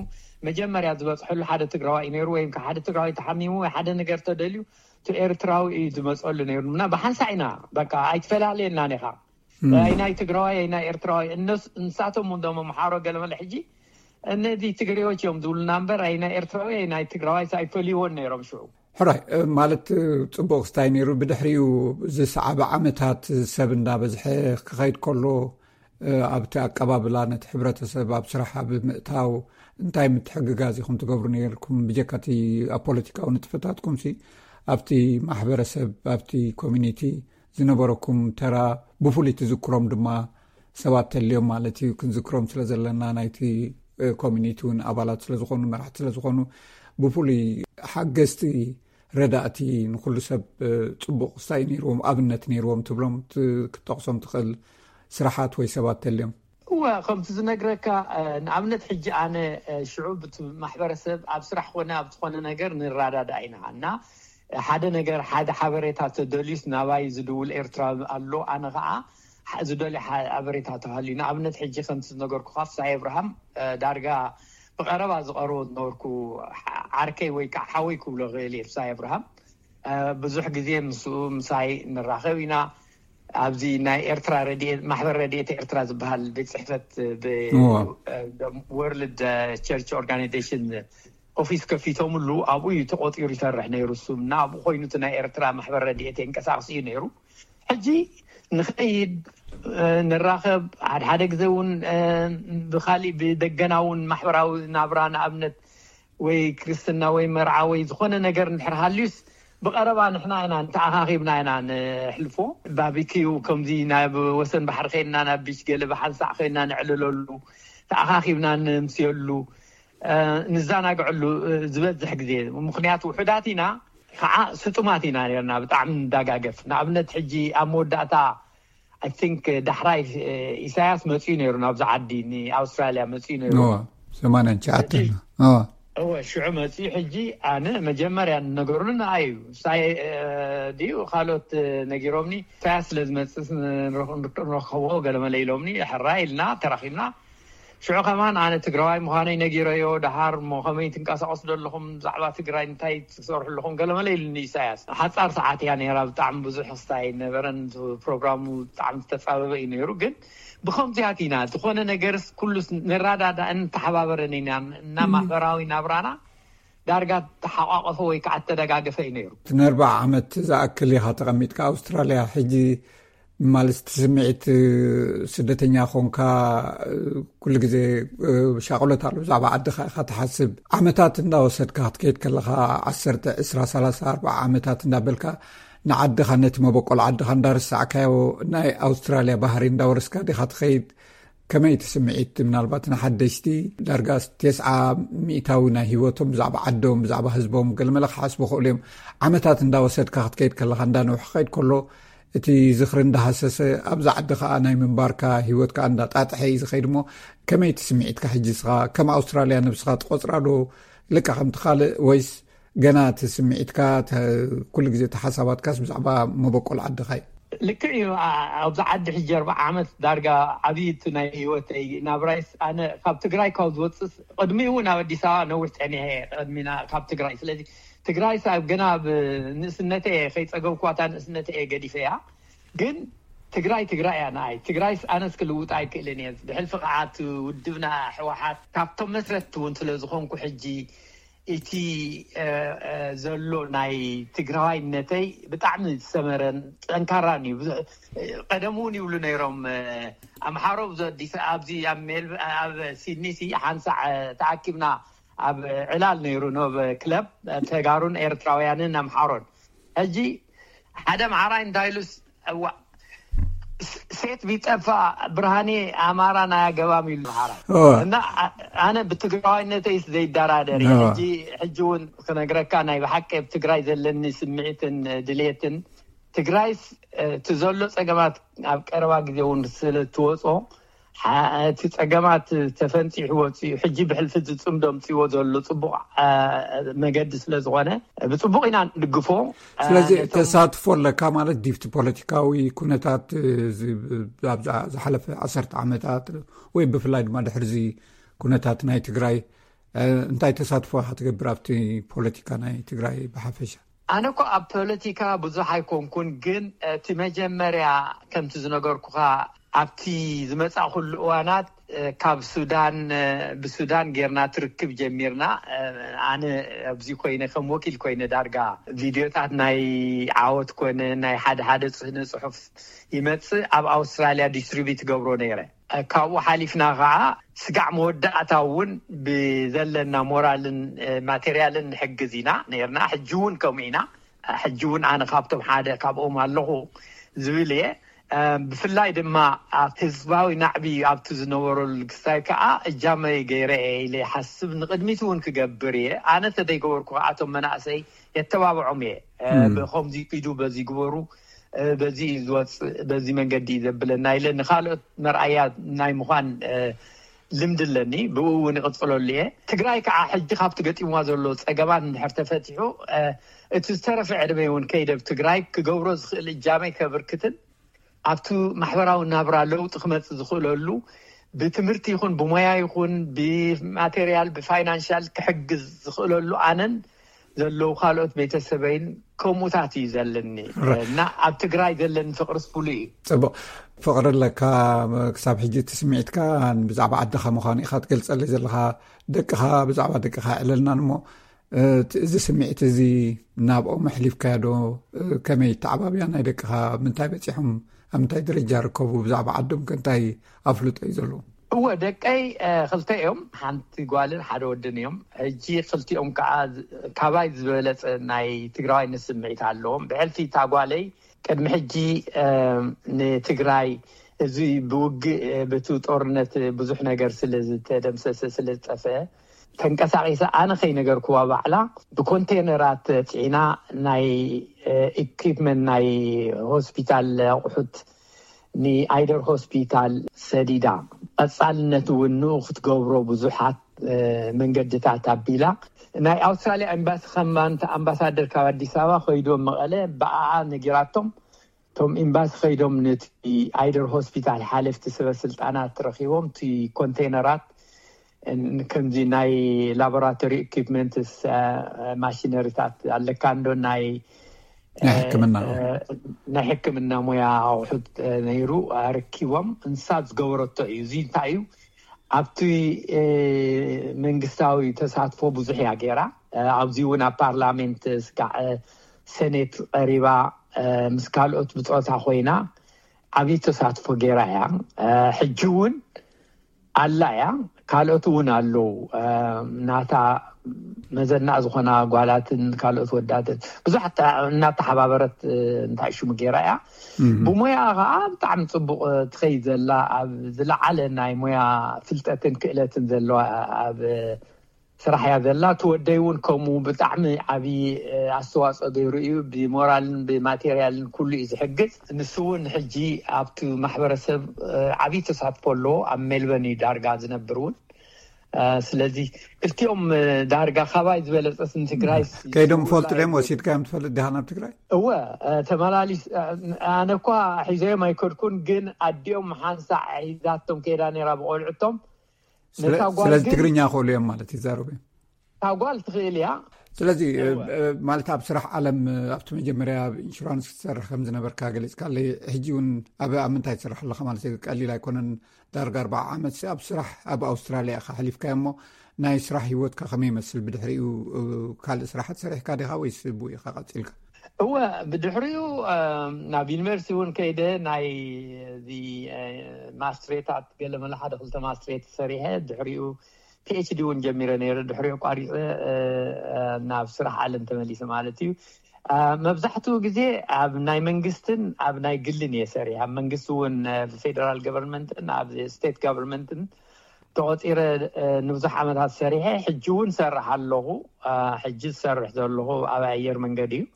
መጀመርያ ዝበፅሐሉ ሓደ ትግራዋይ እዩ ነይሩ፣ ወይም ሓደ ትግራዋይ ተሓሚሙ ወይ ሓደ ነገር ተደልዩ እቲ ኤርትራዊ እዩ ዝመፀሉ ነይሩ እና ብሓንሳ ኢና በቃ ኣይትፈላለየና ኒኻ። ኣይናይ ትግራዋይ ኣይናይ ኤርትራዋይ እነስ ንሳቶም እንዶ መምሓሮ ገለመለ ሕጂ እነዚ ትግሬዎች እዮም ዝብሉና እምበር፣ ኣይ ናይ ኤርትራዊ ኣይ ናይ ትግራዋይ ኣይፈልይዎን ነይሮም ሽዑ። ሕራይ፣ እ፣ ማለት፣ እ፣ ጽቡቕ ክስታይ ነይሩ። ብድሕሪኡ ዝሰዓበ ዓመታት ሰብ እንዳበዝሐ ክኸይድ ከሎ፣ እ፣ ኣብቲ ኣቀባብላ ነቲ ሕብረተሰብ ኣብ ስራሕ ኣብ ምእታው እንታይ ምትሕግጋዝ ኢኹም ትገብሩ ነይርኩም? ብጀካ እቲ ኣብ ፖለቲካዊ ንጥፈታትኩም ሲ ኣብቲ ማሕበረሰብ፣ ኣብቲ ኮሚኒቲ ዝነበረኩም ተራ ብፍሉይ ትዝክሮም ድማ ሰባት ተልዮም ማለት እዩ። ክንዝክሮም ስለ ዘለና ናይቲ፣ እ፣ ኮሚኒቲ እውን ኣባላት ስለ ዝኾኑ፣ መራሕቲ ስለ ዝኾኑ፣ ብፍሉይ ሓገዝቲ ረዳእቲ ንኩሉ ሰብ፣ እ፣ ጽቡቕ ክስታይ ነይርዎም፣ ኣብነት ነይርዎም ትብሎም፣ ት-፣ ክትጠቕሶም ትኽእል ስራሓት ወይ ሰባት ተልዮም? እወ፣ ከምቲ ዝነግረካ፣ እ፣ ንኣብነት ሕጂ ኣነ፣ እ፣ ሽዑ ብቲ ማሕበረሰብ ኣብ ስራሕ ኮነ ኣብ ዝኾነ ነገር ንረዳዳእ ኢና እና ሓደ ነገር፣ ሓደ ሓበሬታ ተደልዩስ ናባይ ዝድውል ኤርትራዊ ኣሎ። ኣነ ኸዓ ሕ-፣ ዝደልዮ ሓ-፣ ሓበሬታ ተሃልዩ፣ ንኣብነት ሕጂ ከምቲ ዝነገርኩኻ ፍስሃ ኣብርሃም፣ እ፣ ዳርጋ ብቐረባ ዝቐርቦ ዝነበርኩ ዓ-፣ ዓርከይ ወይ ከዓ ሓወይ ክብሎ ክእል እየ። ፍስሃ ኣብርሃም፣ እ፣ ብዙሕ ግዜ ምስኡ ምሳይ ንራኸብ ኢና። ኣብዚ ናይ ኤርትራ ረድኤት፣ ማሕበር ረድኤት ኤርትራ ዝበሃል ቤት ጽሕፈት ብ-፣ እዋ። እ፣ ወርልድ ቸርች ኦርጋናይዜሽን ኦፊስ ከፊቶምሉ ኣብኡ እዩ ተቆጢሩ ይሰርሕ ነይሩ። እሱ እና ኣብኡ ኮይኑ እቲ ናይ ኤርትራ ማሕበር ረድኤት የንቀሳቅስ እዩ ነይሩ። ሕጂ ንኸይድ፣ እ፣ ንራኸብ፣ ሓደ ሓደ ግዜ እውን፣ እ፣ ብኻሊእ ብደገና እውን ማሕበራዊ ናብራ፣ ንኣብነት ወይ ክርስትና ወይ መርዓ ወይ ዝኾነ ነገር እንድሕር ሃልዩስ ብቐረባ ንሕና ኢና እንተኣኻኺብና ኢና ንሕልፎ። ባቢኪዩ ከምዚ ናብ ወሰን ባሕሪ ኸይድና ናብ ቢች ገለ ብሓንሳእ ኸይድና ንዕልለሉ፣ ተኣኻኺብና ንምስየሉ፣ እ፣ ንዘናግዐሉ፣ እ፣ ዝበዝሕ ግዜ። ምኽንያቱ ውሑዳት ኢና፣ ከዓ ስጡማት ኢና ነርና፣ ብጣዕሚ ንዳጋገፍ። ንኣብነት ሕጂ ኣብ መወዳእታ፣ I think፣ ዳሕራይ፣ እ፣ ኢሳያስ መጺኡ ነይሩ ናብዚ ዓዲ፣ ንኣውስትራልያ መጺኡ ነይሩ። እዋ፣ ሰማንያን ትሽዓተን። ሕጂ እዋ። እወ፣ ሽዑ መጺኡ። ሕጂ ኣነ መጀመርያ ነገሩኒ ንኣይ እዩ። ሳይ፣ እ፣ ድዩ ካልኦት፣ እ፣ ነጊሮምኒ፣ ኢሳያስ ስለ ዝመጽእ ንረኽ-፣ ንረኸቦ ገለመለ ኢሎምኒ። ሕራይ ኢልና ተራኺብና። ሽዑ ከማን ኣነ ትግራዋይ ምዃነይ ነጊረዮ። ደሃር እሞ ከመይ ትንቀሳቐሱ ዘለኹም፣ ብዛዕባ ትግራይ እንታይ ትሰርሑ ኣለኹም፣ ገለመለ ኢሉኒ ኢሳያስ። ሓጻር ሰዓት እያ ነይራ፣ ብጣዕሚ ብዙሕ ክስታይ ኣይነበረን። ፕሮግራሙ ብጣዕሚ ዝተጻበበ እዩ ነይሩ። ግን ብኸምዚያት ኢና፣ ዝኾነ ነገርስ ኩሉስ ንረዳዳእን ንተሓባበርን ኢና እና እም። ማሕበራዊ ናብራና ዳርጋ ተሓቋቐፈ ወይ ከዓ ተደጋገፈ እዩ ነይሩ። እቲ ንኣርባዓ ዓመት ዝኣክል ኢኻ ተቐሚጥካ ኣውስትራልያ። ሕጂ ማለት እቲ ስምዒት፣ እ፣ ስደተኛ ኾንካ፣ እ፣ ኩሉ ግዜ፣ እ፣ ሻቕሎት ኣሎ። ብዛዕባ ዓድኻ ኢኻ ትሓስብ። ዓመታት እንዳወሰድካ ክትከይድ ከለኻ፣ ዓሰርተ፣ ዕስራ፣ ሰላሳ፣ ኣርባዓ ዓመታት እንዳበልካ ንዓድኻ፣ ነቲ መበቆል ዓድኻ እንዳረሳዕካዮ፣ ናይ ኣውስትራልያ ባህሪ እንዳወረስካ ዲኻ ትኸይድ? ከመይ እቲ ስምዒት? ምናልባት ንሓደሽቲ ዳርጋ ተስዓ ሚእታዊ ናይ ህይወቶም ብዛዕባ ዓዶም፣ ብዛዕባ ህዝቦም ገለመለ ክሓስቡ ክኽእሉ እዮም። ዓመታት እንዳወሰድካ ክትከይድ ከለኻ፣ እንዳነውሐ ክኸይድ ከሎ፣ እቲ ዝኽሪ እንዳሃሰሰ፣ ኣብዛ ዓዲ ኸኣ ናይ ምንባርካ ህይወት ከኣ እንዳጣጥሐ እዩ ዝኸይድ። እሞ ከመይ እቲ ስምዒትካ ሕጂ? ንስኻ ከም ኣውስትራልያ ነብስኻ ትቖጽራ ዶ፣ ልክዕ ከምቲ ካልእ፣ ወይስ ገና እቲ ስምዒትካ፣ ተ-፣ ኩሉ ግዜ እቲ ሓሳባትካስ ብዛዕባ መበቆል ዓድኻ እዩ? ልክዕ እዩ። ኣ-፣ ኣብዚ ዓዲ ሕጂ ኣርባዓ ዓመት ዳርጋ ዓብዪ እቲ ናይ ህይወተይ ናብራይስ፣ ኣነ ካብ ትግራይ ካብ ዝወፅስ ቅድሚኡ እውን ኣብ ኣዲስ ኣበባ ነዊሕ ፀኒሐ እየ፣ ቅድሚና ካብ ትግራይ። ስለዚ ትግራይስ ኣብ ገና ኣብ ንእስነተይ እየ ከይፀገብኳታ፣ ንእስነተይ እየ ገዲፈያ። ግን ትግራይ ትግራይ እያ ንኣይ። ትግራይስ ኣነስ ክልውጣ ኣይክእልን እየ። ብሕልፊ ከዓ እቲ ውድብና ህወሓት ካብቶም መስረትቲ እውን ስለ ዝኾንኩ ሕጂ እቲ፣ እ፣ እ፣ ዘሎ ናይ ትግራዋይነተይ ብጣዕሚ ዝሰመረን ጠንካራን እዩ። ብዙ-፣ ቀደም እውን ይብሉ ነይሮም፣ እ፣ ኣምሓሮ ኣብዚ ኣዲስ፣ ኣብዚ ኣብ ሜል-፣ ኣብ ሲድኒ ሲ ሓንሳዕ፣ እ፣ ተኣኪብና ኣብ ዕላል ነይሩ፣ ኖብ ክለብ፣ እ፣ ተጋሩን ኤርትራውያንን ኣምሓሮን። ሕጂ ሓደ ኣምሓራይ እንታይ ኢሉስ፣ እዋ፣ ስ-፣ ሴት ቢጠፋ ብርሃኔ ኣማራ ናይ ኣገባም ኢሉ ሓራ። እወ። እና ኣ-፣ ኣነ ብትግራዋይነተይስ ዘይደራደር እየ። እወ። ሕጂ፣ ሕጂ እውን ክነግረካ፣ ናይ ብሓቂ ኣብ ትግራይ ዘለኒ ስምዒትን ድሌትን፣ ትግራይስ፣ እ፣ እቲ ዘሎ ጸገማት ኣብ ቀረባ ግዜ እውን ስለ እትወጾ፣ ሓ-፣ እቲ ጸገማት ተፈንጺሑ ወጺኡ፣ ሕጂ ብሕልፊ ዝጽምዶ ኣምጺዎ ዘሎ ጽቡቕ፣ እ፣ መገዲ ስለ ዝኾነ፣ ብጽቡቕ ኢና ንድግፎ። ስለዚ ነቶም ተሳትፎ ኣለካ ማለት ድዩ? እቲ ፖለቲካዊ ኩነታት፣ እ፣ ዝ-፣ ኣብዛ ዝሓለፈ ዓሰርተ ዓመታት ወይ ብፍላይ ድማ ድሕሪ እዚ ኩነታት ናይ ትግራይ፣ እ፣ እንታይ ተሳትፎ ኢኻ ትገብር ኣብቲ ፖለቲካ ናይ ትግራይ ብሓፈሻ? ኣነ እኮ ኣብ ፖለቲካ ብዙሕ ኣይኮንኩን፣ ግን እቲ መጀመርያ ከምቲ ዝነገርኩኻ ኣብቲ ዝመጻእኩሉ እዋናት ካብ ሱዳን፣ ብሱዳን ጌርና ትርክብ ጀሚርና። ኣነ ኣብዚ ኮይነ ከም ወኪል ኮይነ ዳርጋ ቪድዮታት ናይ ዓወት ኮነ ናይ ሓደ ሓደ ስነ ጽሑፍ ይመጽእ፣ ኣብ ኣውስትራልያ ዲስትሪቢዩት ገብሮ ነይረ። ካብኡ ሓሊፍና ከዓ ስጋዕ መወዳእታ እውን ብዘለና ሞራልን ማቴርያልን ንሕግዝ ኢና ነርና። ሕጂ እውን ከምኡ ኢና። ሕጂ እውን ኣነ ካብቶም ሓደ ካብኦም ኣለኹ ዝብል እየ። ብፍላይ ድማ ኣብ ህዝባዊ ናዕቢ ኣብቲ ዝነበረሉ ግሳይ ከዓ እጃመይ ገይረ እየ ኢለ ይሓስብ። ንቅድሚት እውን ክገብር እየ። ኣነ ተደይገበርኩ ከዓ እቶም መናእሰይ የተባብዖም እየ። ብከምዚ ኪዱ፣ በዚ ግበሩ፣ በዚ እዩ ዝወፅእ፣ በዚ መንገዲ እዩ ዘብለና ኢለ ንካልኦት መርኣያ ናይ ምዃን ልምዲ ኣለኒ። ብኡ እውን ይቕፅለሉ እየ። ትግራይ ከዓ ሕጂ ካብቲ ገጢምዋ ዘሎ ፀገማት እንድሕር ተፈቲሑ፣ እቲ ዝተረፈ ዕድመ እውን ከይደ ኣብ ትግራይ ክገብሮ ዝኽእል እጃመይ ከብርክትን ኣብቲ ማሕበራዊ ናብራ ለውጢ ክመፅእ ዝኽእለሉ ብትምህርቲ ይኹን ብሞያ ይኹን ብማቴርያል ብፋይናንሻል ክሕግዝ ዝኽእለሉ ኣነን ዘለዉ ካልኦት ቤተሰበይን ከምኡታት እዩ ዘለኒ። እና ኣብ ትግራይ ዘለኒ ፍቕሪ ስቡሉ እዩ። ፅቡቅ። ፍቕሪ ኣለካ። ክሳብ ሕጂ እቲ ስምዒትካ ብዛዕባ ዓድኻ ምዃኑ ኢኻ ትገልጸለይ ዘለኻ። ደቅኻ፣ ብዛዕባ ደቅኻ ዕለልናን እሞ፣ እቲ፣ እዚ ስምዒት እዚ ናብኦም ኣሕሊፍካዮ ዶ? ከመይ ተዓባብያ ናይ ደቅኻ? ምንታይ በጺሖም? ኣብ ምንታይ ደረጃ ርከቡ? ብዛዕባ ዓዶም ከ እንታይ ኣፍልጦ እዩ ዘለዎም? እወ፣ ደቀይ ክልተ እዮም። ሓንቲ ጓልን ሓደ ወድን እዮም። ሕጂ ክልቲኦም ከዓ ካባይ ዝበለጸ ናይ ትግራዋይነት ስምዒት ኣለዎም። ብሕልፊ እታ ጓለይ ቅድሚ ሕጂ ንትግራይ እዚ ብውግእ፣ በቲ ጦርነት ብዙሕ ነገር ስለ ዝተደምሰሰ፣ ስለ ዝጠፍአ፣ ተንቀሳቒሳ ኣነ ከይነገርኩዋ ባዕላ ብኮንቴነራት ፂዒና ናይ ኢኩፕመንት ናይ ሆስፒታል ኣቑሑት ንኣይደር ሆስፒታል ሰዲዳ። ቀጻልነት እውን ንኡ ክትገብሮ ብዙሓት መንገድታት ኣቢላ። ናይ ኣውስትራልያ ኤምባሲ ከማን ኣምባሳደር ካብ ኣዲስ ኣበባ ከይዶም መቐለ ብኣኣ ነጊራቶም። እቶም ኤምባሲ ከይዶም ነቲ ኣይደር ሆስፒታል ሓለፍቲ ሰበ ስልጣናት ረኺቦም፣ እቲ ኮንቴነራት ከምዚ ናይ ላቦራቶሪ ኢኩፕመንትስ፣ ማሽነሪታት ኣለካ እንዶ ናይ ናይ ሕክምና ናይ ሕክምና ሙያ ኣቑሑት ነይሩ ኣረኪቦም። እንሳ ዝገበረቶ እዩ። እዚ እንታይ እዩ? ኣብቲ መንግስታዊ ተሳትፎ ብዙሕ እያ ገይራ። ኣብዚ እውን ኣብ ፓርላሜንት ስጋዕ ሰኔት ቀሪባ ምስ ካልኦት ብፆታ ኮይና ዓብዪ ተሳትፎ ገይራ እያ። ሕጂ እውን ኣላ እያ። ካልኦት እውን ኣለዉ። ናታ መዘና ዝኾና ጓላትን ካልኦት ወዳትን ብዙሓት እናተሓባበረት እንታይ ሽሙ ገይራ እያ። ብሞያ ከዓ ብጣዕሚ ፅቡቕ ትኸይድ ዘላ፣ ኣብ ዝለዓለ ናይ ሞያ ፍልጠትን ክእለትን ዘለዋ፣ ኣብ ስራሕ እያ ዘላ። እቲ ወደይ እውን ከምኡ ብጣዕሚ ዓብዪ ኣስተዋፅኦ ገይሩ እዩ። ብሞራልን ብማቴርያልን ኩሉ እዩ ዝሕግዝ። ንሱ እውን ሕጂ ኣብቲ ማሕበረሰብ ዓብዪ ተሳትፎ ኣለዎ። ኣብ ሜልበርን እዩ ዳርጋ ዝነብር እውን። ስለዚ ክልቲኦም ዳርጋ ካባይ ዝበለፀስ ንትግራይ ከይዶም ፈልጡ ድዮም? ወሲድካዮም ትፈልጥ ዲኻ ናብ ትግራይ? እወ፣ ተመላሊስ ኣነ እኳ ሒዘዮም ኣይከድኩን፣ ግን ኣዲኦም ሓንሳዕ ሒዛቶም ከይዳ ነይራ ብቆልዕቶም። ስለዚ ትግርኛ ክእሉ እዮም ማለት ይዛረቡ እዮም። እታ ጓል ትኽእል እያ። ስለዚ ማለት ኣብ ስራሕ ዓለም ኣብቲ መጀመርያ ኣብ ኢንሹራንስ ክትሰርሕ ከም ዝነበርካ ገሊፅካለይ። ሕጂ እውን ኣብ ኣብ ምንታይ ትሰርሕ ኣለኻ ማለት እዩ? ቀሊል ኣይኮነን። ዳርጋ ኣርባዓ ዓመት ኣብ ስራሕ ኣብ ኣውስትራልያ ኢኻ ኣሕሊፍካዮ እሞ ናይ ስራሕ ህይወትካ ከመይ ይመስል? ብድሕሪኡ ካልእ ስራሓት ሰሪሕካ ዲኻ ወይስ ብኡ ኢኻ ቀፂልካ? እወ፣ ብድሕሪኡ ናብ ዩኒቨርሲቲ እውን ከይደ ናይ እዚ ማስትሬታት ገለ መለ ሓደ ክልተ ማስትሬት ሰሪሐ ድሕሪኡ ፒኤችዲ እውን ጀሚረ ነይረ። ድሕሪኡ ቋሪፀ ናብ ስራሕ ዓለም ተመሊሰ ማለት እዩ። መብዛሕትኡ ግዜ ኣብ ናይ መንግስትን ኣብ ናይ ግልን እየ ሰሪሐ። ኣብ መንግስቲ እውን ብፌደራል ገቨርንመንትን ኣብ ስቴት ገቨርንመንትን ተቆፂረ ንብዙሕ ዓመታት ሰሪሐ። ሕጂ እውን ሰርሕ ኣለኹ። ሕጂ ዝሰርሕ ዘለኹ ኣብ ኣየር መንገዲ እዩ።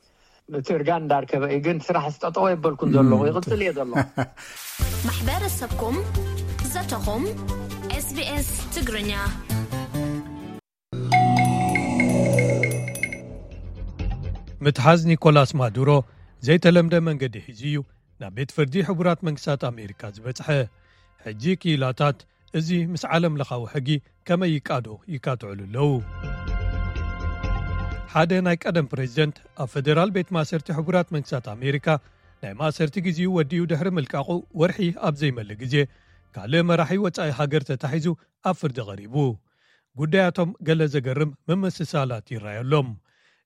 እቲ እርጋን እንዳርከበ እዩ፣ ግን ስራሕ ስጠጠወ የበልኩን ዘለኹ፣ ይቕፅል እየ ዘለኹ። ማሕበረሰብኩም ዘተኹም ኤስቢኤስ ትግርኛ። ምትሓዝ ኒኮላስ ማዱሮ ዘይተለምደ መንገዲ ሒዙ እዩ ናብ ቤት ፍርዲ ሕቡራት መንግስታት ኣሜሪካ ዝበጽሐ። ሕጂ ክኢላታት እዚ ምስ ዓለም ለኻዊ ሕጊ ከመይ ይቃዶ ይካትዕሉ ኣለዉ። ሓደ ናይ ቀደም ፕሬዚደንት ኣብ ፈደራል ቤት ማእሰርቲ ሕቡራት መንግስታት ኣሜሪካ ናይ ማእሰርቲ ግዜኡ ወዲኡ ድሕሪ ምልቃቑ፣ ወርሒ ኣብ ዘይመልእ ግዜ ካልእ መራሒ ወጻኢ ሃገር ተታሒዙ ኣብ ፍርዲ ቀሪቡ። ጉዳያቶም ገለ ዘገርም ምምስሳላት ይረኣየሎም።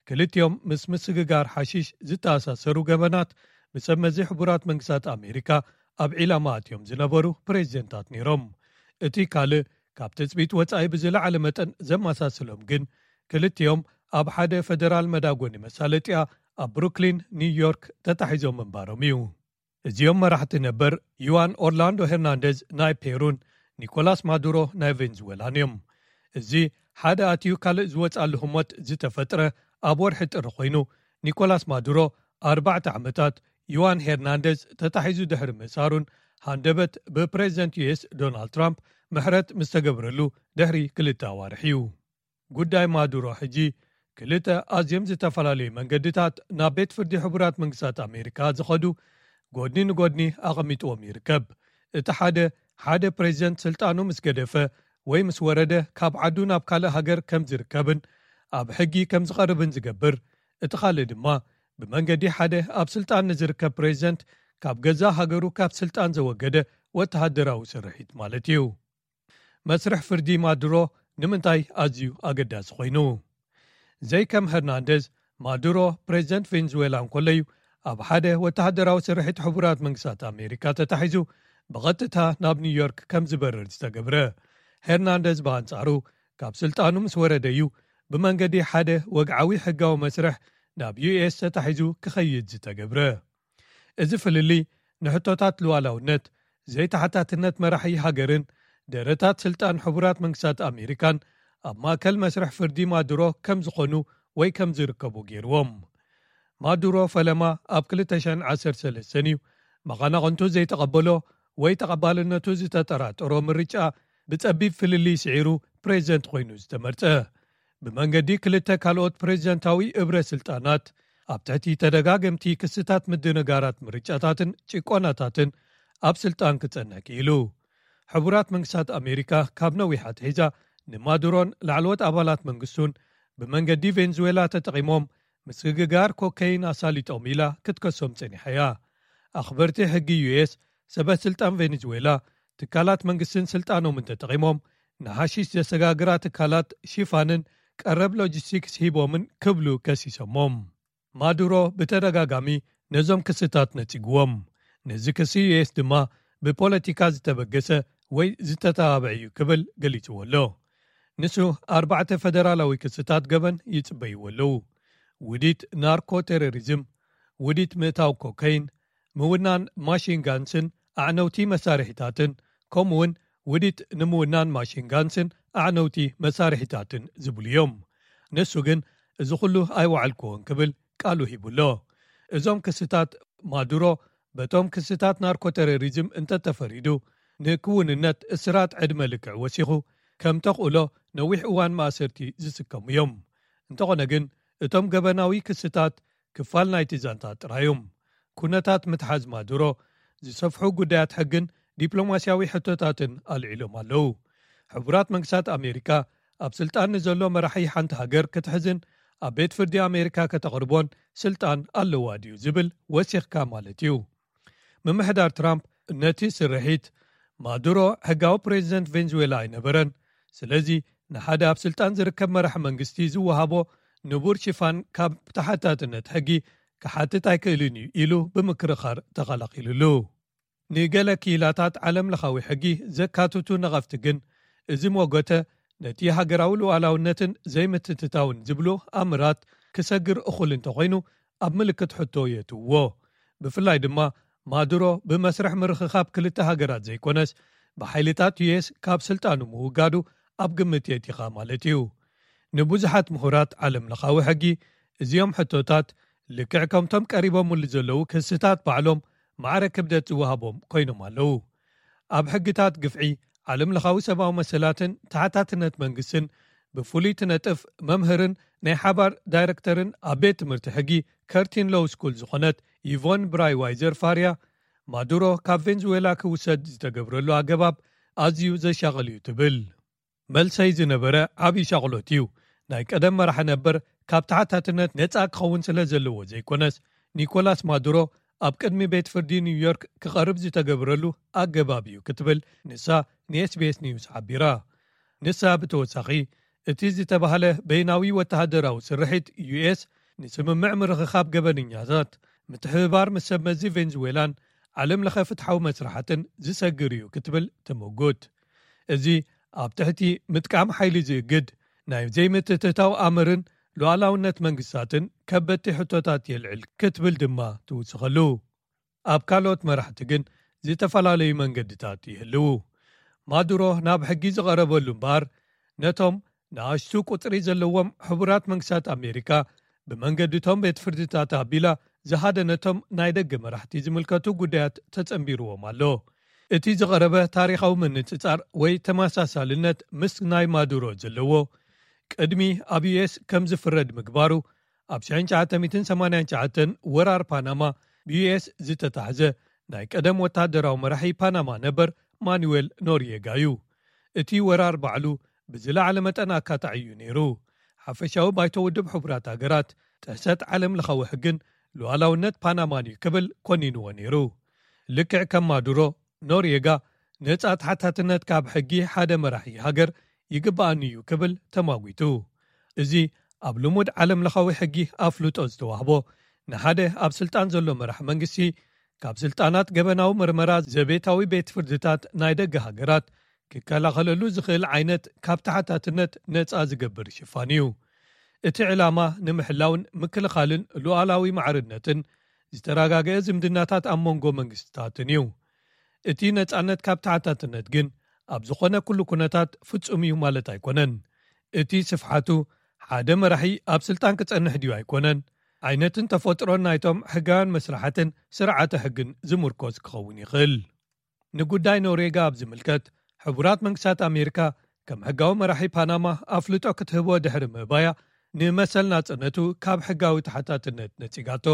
ክልቲኦም ምስ ምስግጋር ሓሺሽ ዝተኣሳሰሩ ገበናት ብሰብ መዚ ሕቡራት መንግስታት ኣሜሪካ ኣብ ዒላማ ኣትዮም ዝነበሩ ፕሬዚደንታት ነይሮም። እቲ ካልእ ካብ ትጽቢት ወጻኢ ብዝለዓለ መጠን ዘመሳስሎም ግን፣ ክልቲኦም ኣብ ሓደ ፈደራል መዳጎኒ መሳለጥያ ኣብ ብሩክሊን ኒውዮርክ ተታሒዞም ምንባሮም እዩ። እዚኦም መራሕቲ ነበር ዩዋን ኦርላንዶ ሄርናንደዝ ናይ ፔሩን ኒኮላስ ማዱሮ ናይ ቬንዙዌላን እዮም። እዚ ሓደ ኣትዩ ካልእ ዝወጻሉ ህሞት ዝተፈጥረ ኣብ ወርሒ ጥሪ ኮይኑ፣ ኒኮላስ ማዱሮ ኣርባዕተ ዓመታት፣ ዩዋን ሄርናንደዝ ተታሒዙ ድሕሪ ምእሳሩን ሃንደበት ብፕሬዚደንት ዩኤስ ዶናልድ ትራምፕ ምሕረት ምስ ተገብረሉ ድሕሪ ክልተ ኣዋርሕ እዩ። ጉዳይ ማዱሮ ሕጂ ክልተ ኣዝዮም ዝተፈላለዩ መንገድታት ናብ ቤት ፍርዲ ሕቡራት መንግስታት ኣሜሪካ ዝኸዱ ጎድኒ ንጎድኒ ኣቐሚጥዎም ይርከብ። እቲ ሓደ፣ ሓደ ፕሬዚደንት ስልጣኑ ምስ ገደፈ ወይ ምስ ወረደ ካብ ዓዱ ናብ ካልእ ሃገር ከም ዝርከብን ኣብ ሕጊ ከም ዝቐርብን ዝገብር፣ እቲ ካልእ ድማ ብመንገዲ ሓደ ኣብ ስልጣን ንዝርከብ ፕሬዚደንት ካብ ገዛ ሃገሩ ካብ ስልጣን ዘወገደ ወተሃደራዊ ስርሒት ማለት እዩ። መስርሕ ፍርዲ ማዱሮ ንምንታይ ኣዝዩ ኣገዳሲ ኮይኑ? ዘይከም ሄርናንደዝ፣ ማዱሮ ፕሬዚደንት ቬንዙዌላ እንኮለዩ ኣብ ሓደ ወተሃደራዊ ስርሒት ሕቡራት መንግስታት ኣሜሪካ ተታሒዙ ብቐጥታ ናብ ኒውዮርክ ከም ዝበርር ዝተገብረ። ሄርናንደዝ ብኣንጻሩ ካብ ስልጣኑ ምስ ወረደዩ ብመንገዲ ሓደ ወግዓዊ ሕጋዊ መስርሕ ናብ ዩኤስ ተታሒዙ ክኸይድ ዝተገብረ። እዚ ፍልልይ ንሕቶታት ሉዓላውነት፣ ዘይተሓታትነት መራሒ ሃገርን ደረታት ስልጣን ሕቡራት መንግስታት ኣሜሪካን ኣብ ማእከል መስርሕ ፍርዲ ማዱሮ ከም ዝኾኑ ወይ ከም ዝርከቡ ገይርዎም። ማዱሮ ፈለማ ኣብ ክልተ ሽሕን ዓሰርተ ሰለስተን እዩ መቐናቕንቱ ዘይተቐበሎ ወይ ተቐባልነቱ ዝተጠራጠሮ ምርጫ ብጸቢብ ፍልልይ ስዒሩ ፕሬዚደንት ኮይኑ ዝተመርጸ። ብመንገዲ ክልተ ካልኦት ፕሬዚደንታዊ እብረ ስልጣናት ኣብ ትሕቲ ተደጋገምቲ ክስታት ምድንጋራት ምርጫታትን ጭቆናታትን ኣብ ስልጣን ክጸንሕ ክኢሉ። ሕቡራት መንግስታት ኣሜሪካ ካብ ነዊሕ ኣትሒዛ ንማዱሮን ላዕለዎት ኣባላት መንግስቱን ብመንገዲ ቬንዙዌላ ተጠቒሞም ምስግጋር ኮከይን ኣሳሊጦም ኢላ ክትከሶም ጸኒሓ እያ። ኣኽበርቲ ሕጊ ዩኤስ፣ ሰበ ስልጣን ቬንዙዌላ ትካላት መንግስትን ስልጣኖምን ተጠቒሞም ንሓሺሽ ዘሰጋግራ ትካላት ሽፋንን ቀረብ ሎጂስቲክስ ሂቦምን ክብሉ ከሲሶሞም። ማዱሮ ብተደጋጋሚ ነዞም ክስታት ነጺግዎም። ነዚ ክሲ ዩኤስ ድማ ብፖለቲካ ዝተበገሰ ወይ ዝተተባብዐ እዩ ክብል ገሊጽዎ ኣሎ። ንሱ ኣርባዕተ ፈደራላዊ ክስታት ገበን ይጽበይዎ ኣለዉ። ውዲት ናርኮ ቴሮሪዝም፣ ውዲት ምእታው ኮከይን፣ ምውናን ማሽን ጋንስን ኣዕነውቲ መሳርሒታትን፣ ከምኡ እውን ውዲት ንምውናን ማሽን ጋንስን ኣዕነውቲ መሳርሒታትን ዝብሉ እዮም። ንሱ ግን እዚ ኩሉ ኣይወዓልክዎን ክብል ቃሉ ሂቡ ኣሎ። እዞም ክስታት ማዱሮ በቶም ክስታት ናርኮ ቴሮሪዝም እንተተፈሪዱ ንክውንነት እስራት ዕድመ ልክዕ ወሲኹ ከም ተኽእሎ ነዊሕ እዋን ማእሰርቲ ዝስከሙ እዮም። እንተኾነ ግን እቶም ገበናዊ ክስታት ክፋል ናይቲ ዛንታ ጥራይ እዮም። ኩነታት ምትሓዝ ማዱሮ ዝሰፍሑ ጉዳያት ሕግን ዲፕሎማስያዊ ሕቶታትን ኣልዒሎም ኣለዉ። ሕቡራት መንግስታት ኣሜሪካ ኣብ ስልጣን ንዘሎ መራሒ ሓንቲ ሃገር ክትሕዝን ኣብ ቤት ፍርዲ ኣሜሪካ ከተቕርቦን ስልጣን ኣለዋ ድዩ ዝብል ወሲኽካ ማለት እዩ። ምምሕዳር ትራምፕ ነቲ ስርሒት ማዱሮ ሕጋዊ ፕሬዚደንት ቬንዙዌላ ኣይነበረን፣ ስለዚ ንሓደ ኣብ ስልጣን ዝርከብ መራሒ መንግስቲ ዝወሃቦ ንቡር ሽፋን ካብ ተሓታትነት ሕጊ ክሓትት ኣይክእልን እዩ ኢሉ ብምክርኻር ተኸላኺሉሉ። ንገለ ክኢላታት ዓለም ለኻዊ ሕጊ ዘካትቱ ነቐፍቲ ግን እዚ ሞገተ ነቲ ሃገራዊ ሉዓላውነትን ዘይምትትታውን ዝብሉ ኣምራት ክሰግር እኹል እንተኾይኑ ኣብ ምልክት ሕቶ የእትውዎ። ብፍላይ ድማ ማዱሮ ብመስርሕ ምርኽኻብ ክልተ ሃገራት ዘይኮነስ ብሓይልታት ዩኤስ ካብ ስልጣኑ ምውጋዱ ኣብ ግምት የእቲኻ ማለት እዩ። ንብዙሓት ምሁራት ዓለም ለኻዊ ሕጊ እዚኦም ሕቶታት ልክዕ ከምቶም ቀሪቦምሉ ዘለዉ ክስታት ባዕሎም ማዕረ ክብደት ዝወሃቦም ኮይኖም ኣለዉ። ኣብ ሕግታት ግፍዒ ዓለም ለኻዊ ሰብኣዊ መሰላትን ተሓታትነት መንግስትን ብፍሉይ ትነጥፍ መምህርን ናይ ሓባር ዳይረክተርን ኣብ ቤት ትምህርቲ ሕጊ ከርቲን ሎው ስኩል ዝኾነት ይቮን ብራይ ዋይዘር ፋርያ፣ ማዱሮ ካብ ቬንዙዌላ ክውሰድ ዝተገብረሉ ኣገባብ ኣዝዩ ዘሻቕል እዩ ትብል። መልሰይ ዝነበረ ዓብዪ ሻቕሎት እዩ። ናይ ቀደም መራሒ ነበር ካብ ተሓታትነት ነጻ ክኸውን ስለ ዘለዎ ዘይኮነስ፣ ኒኮላስ ማዱሮ ኣብ ቅድሚ ቤት ፍርዲ ኒውዮርክ ክቐርብ ዝተገብረሉ ኣገባብ እዩ ክትብል ንሳ ንኤስቢኤስ ኒውስ ሓቢራ። ንሳ ብተወሳኺ፣ እቲ ዝተባህለ በይናዊ ወተሃደራዊ ስርሒት ዩኤስ ንስምምዕ ምርኽኻብ ገበነኛታት፣ ምትሕብባር ምስ ሰብ መዚ ቬንዙዌላን ዓለም ለኸ ፍትሓዊ መስራሓትን ዝሰግር እዩ ክትብል ትምጉት። እዚ ኣብ ትሕቲ ምጥቃም ሓይሊ ዝእግድ ናይ ዘይምትእትታው ኣምርን ሉዓላውነት መንግስታትን ከበድቲ ሕቶታት የልዕል ክትብል ድማ ትውስኸሉ። ኣብ ካልኦት መራሕቲ ግን ዝተፈላለዩ መንገድታት ይህልዉ። ማዱሮ ናብ ሕጊ ዝቐረበሉ እምበኣር፣ ነቶም ንኣሽቱ ቁጽሪ ዘለዎም ሕቡራት መንግስታት ኣሜሪካ ብመንገድቶም ቤት ፍርድታት ኣቢላ ዝሃደነቶም ናይ ደገ መራሕቲ ዝምልከቱ ጉዳያት ተጸንቢርዎም ኣሎ። እቲ ዝቐረበ ታሪኻዊ ምንጽጻር ወይ ተመሳሳልነት ምስ ናይ ማዱሮ ዘለዎ፣ ቅድሚ ኣብ ዩኤስ ከም ዝፍረድ ምግባሩ፣ ኣብ ሽሕን ትሽዓተ ሚእትን ሰማንያን ትሽዓተን ወራር ፓናማ ብዩኤስ ዝተታሕዘ ናይ ቀደም ወተሃደራዊ መራሒ ፓናማ ነበር ማኑዌል ኖርየጋ እዩ። እቲ ወራር ባዕሉ ብዝለዓለ መጠን ኣካታዒ እዩ ነይሩ። ሓፈሻዊ ባይቶ ውድብ ሕቡራት ሃገራት ጥሕሰት ዓለም ለኻዊ ሕግን ሉዓላውነት ፓናማን እዩ ክብል ኮኒንዎ ነይሩ። ልክዕ ከም ማዱሮ፣ ኖርየጋ ነጻ ተሓታትነት ካብ ሕጊ ሓደ መራሒ ሃገር ይግብኣኒ እዩ ክብል ተማጒቱ። እዚ ኣብ ልሙድ ዓለም ለኻዊ ሕጊ ኣፍልጦ ዝተዋህቦ፣ ንሓደ ኣብ ስልጣን ዘሎ መራሕ መንግስቲ ካብ ስልጣናት ገበናዊ ምርመራ ዘቤታዊ ቤት ፍርድታት ናይ ደገ ሃገራት ክከላኸለሉ ዝኽእል ዓይነት ካብ ተሓታትነት ነጻ ዝገብር ሽፋን እዩ። እቲ ዕላማ ንምሕላውን ምክልኻልን ሉዓላዊ ማዕርነትን ዝተረጋገአ ዝምድናታት ኣብ መንጎ መንግስትታትን እዩ። እቲ ነጻነት ካብ ተሓታትነት ግን ኣብ ዝኾነ ኩሉ ኩነታት ፍጹም እዩ ማለት ኣይኮነን። እቲ ስፍሓቱ ሓደ መራሒ ኣብ ስልጣን ክጸንሕ ድዩ ኣይኮነን፣ ዓይነትን ተፈጥሮን ናይቶም ሕጋውያን መስራሓትን ስርዓተ ሕግን ዝምርኮስ ክኸውን ይኽእል። ንጉዳይ ኖርዌጋ ኣብ ዝምልከት፣ ሕቡራት መንግስታት ኣሜሪካ ከም ሕጋዊ መራሒ ፓናማ ኣፍልጦ ክትህቦ ድሕሪ ምእባያ፣ ንመሰል ናጽነቱ ካብ ሕጋዊ ተሓታትነት ነጺጋቶ።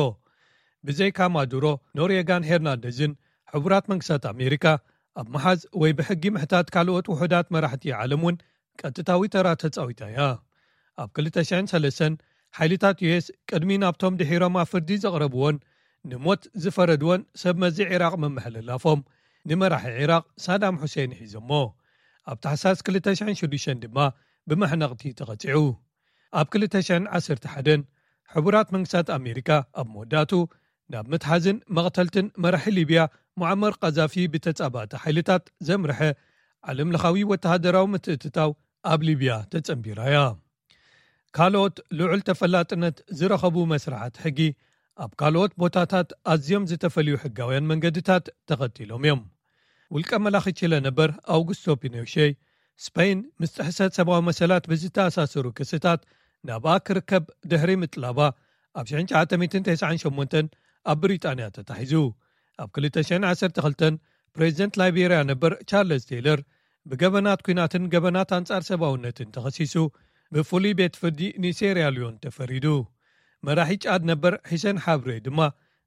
ብዘይካ ማዱሮ፣ ኖርዌጋን ሄርናንደዝን ሕቡራት መንግስታት ኣሜሪካ ኣብ መሓዝ ወይ ብሕጊ ምሕታት ካልኦት ውሑዳት መራሕቲ ዓለም እውን ቀጥታዊ ተራ ተጻዊታ እያ። ኣብ ክልተ ሽሕን ሰለስተን ሓይልታት ዩኤስ ቅድሚ ናብቶም ድሒሮም ኣብ ፍርዲ ዘቕረብዎን ንሞት ዝፈረድዎን ሰብ መዚ ዒራቕ ምምሕልላፎም፣ ንመራሒ ዒራቕ ሳዳም ሑሴን ሒዞሞ። ኣብ ታሕሳስ ክልተ ሽሕን ሽዱሽተን ድማ ብመሕነቕቲ ተቐጺዑ። ኣብ ክልተ ሽሕን ዓሰርተ ሓደን ሕቡራት መንግስታት ኣሜሪካ ኣብ መወዳእቱ ናብ ምትሓዝን መቕተልትን መራሒ ሊብያ ሙዓመር ቃዛፊ ብተጻባእቲ ሓይልታት ዘምርሐ ዓለም ለኻዊ ወተሃደራዊ ምትእትታው ኣብ ሊብያ ተጸንቢራ እያ። ካልኦት ልዑል ተፈላጥነት ዝረኸቡ መስራሓት ሕጊ ኣብ ካልኦት ቦታታት ኣዝዮም ዝተፈልዩ ሕጋውያን መንገድታት ተኸቲሎም እዮም። ውልቀ መላኺ ቺለ ነበር ኣውጉስቶ ፒኖሼ፣ ስፐይን ምስ ጥሕሰት ሰብኣዊ መሰላት ብዝተኣሳሰሩ ክስታት ናብኣ ክርከብ ድሕሪ ምጥላባ፣ ኣብ ሽሕን ትሽዓተ ሚእትን ተስዓን ሸሞንተን ኣብ ብሪጣንያ ተታሒዙ። ኣብ ክልተ ሽሕን ዓሰርተ ክልተን ፕሬዚደንት ላይቤርያ ነበር ቻርለስ ቴይለር ብገበናት ኲናትን ገበናት ኣንጻር ሰብኣውነትን ተኸሲሱ ብፍሉይ ቤት ፍርዲ ንሴርያ ሊዮን ተፈሪዱ። መራሒ ጫድ ነበር ሒሰን ሓብሬ ድማ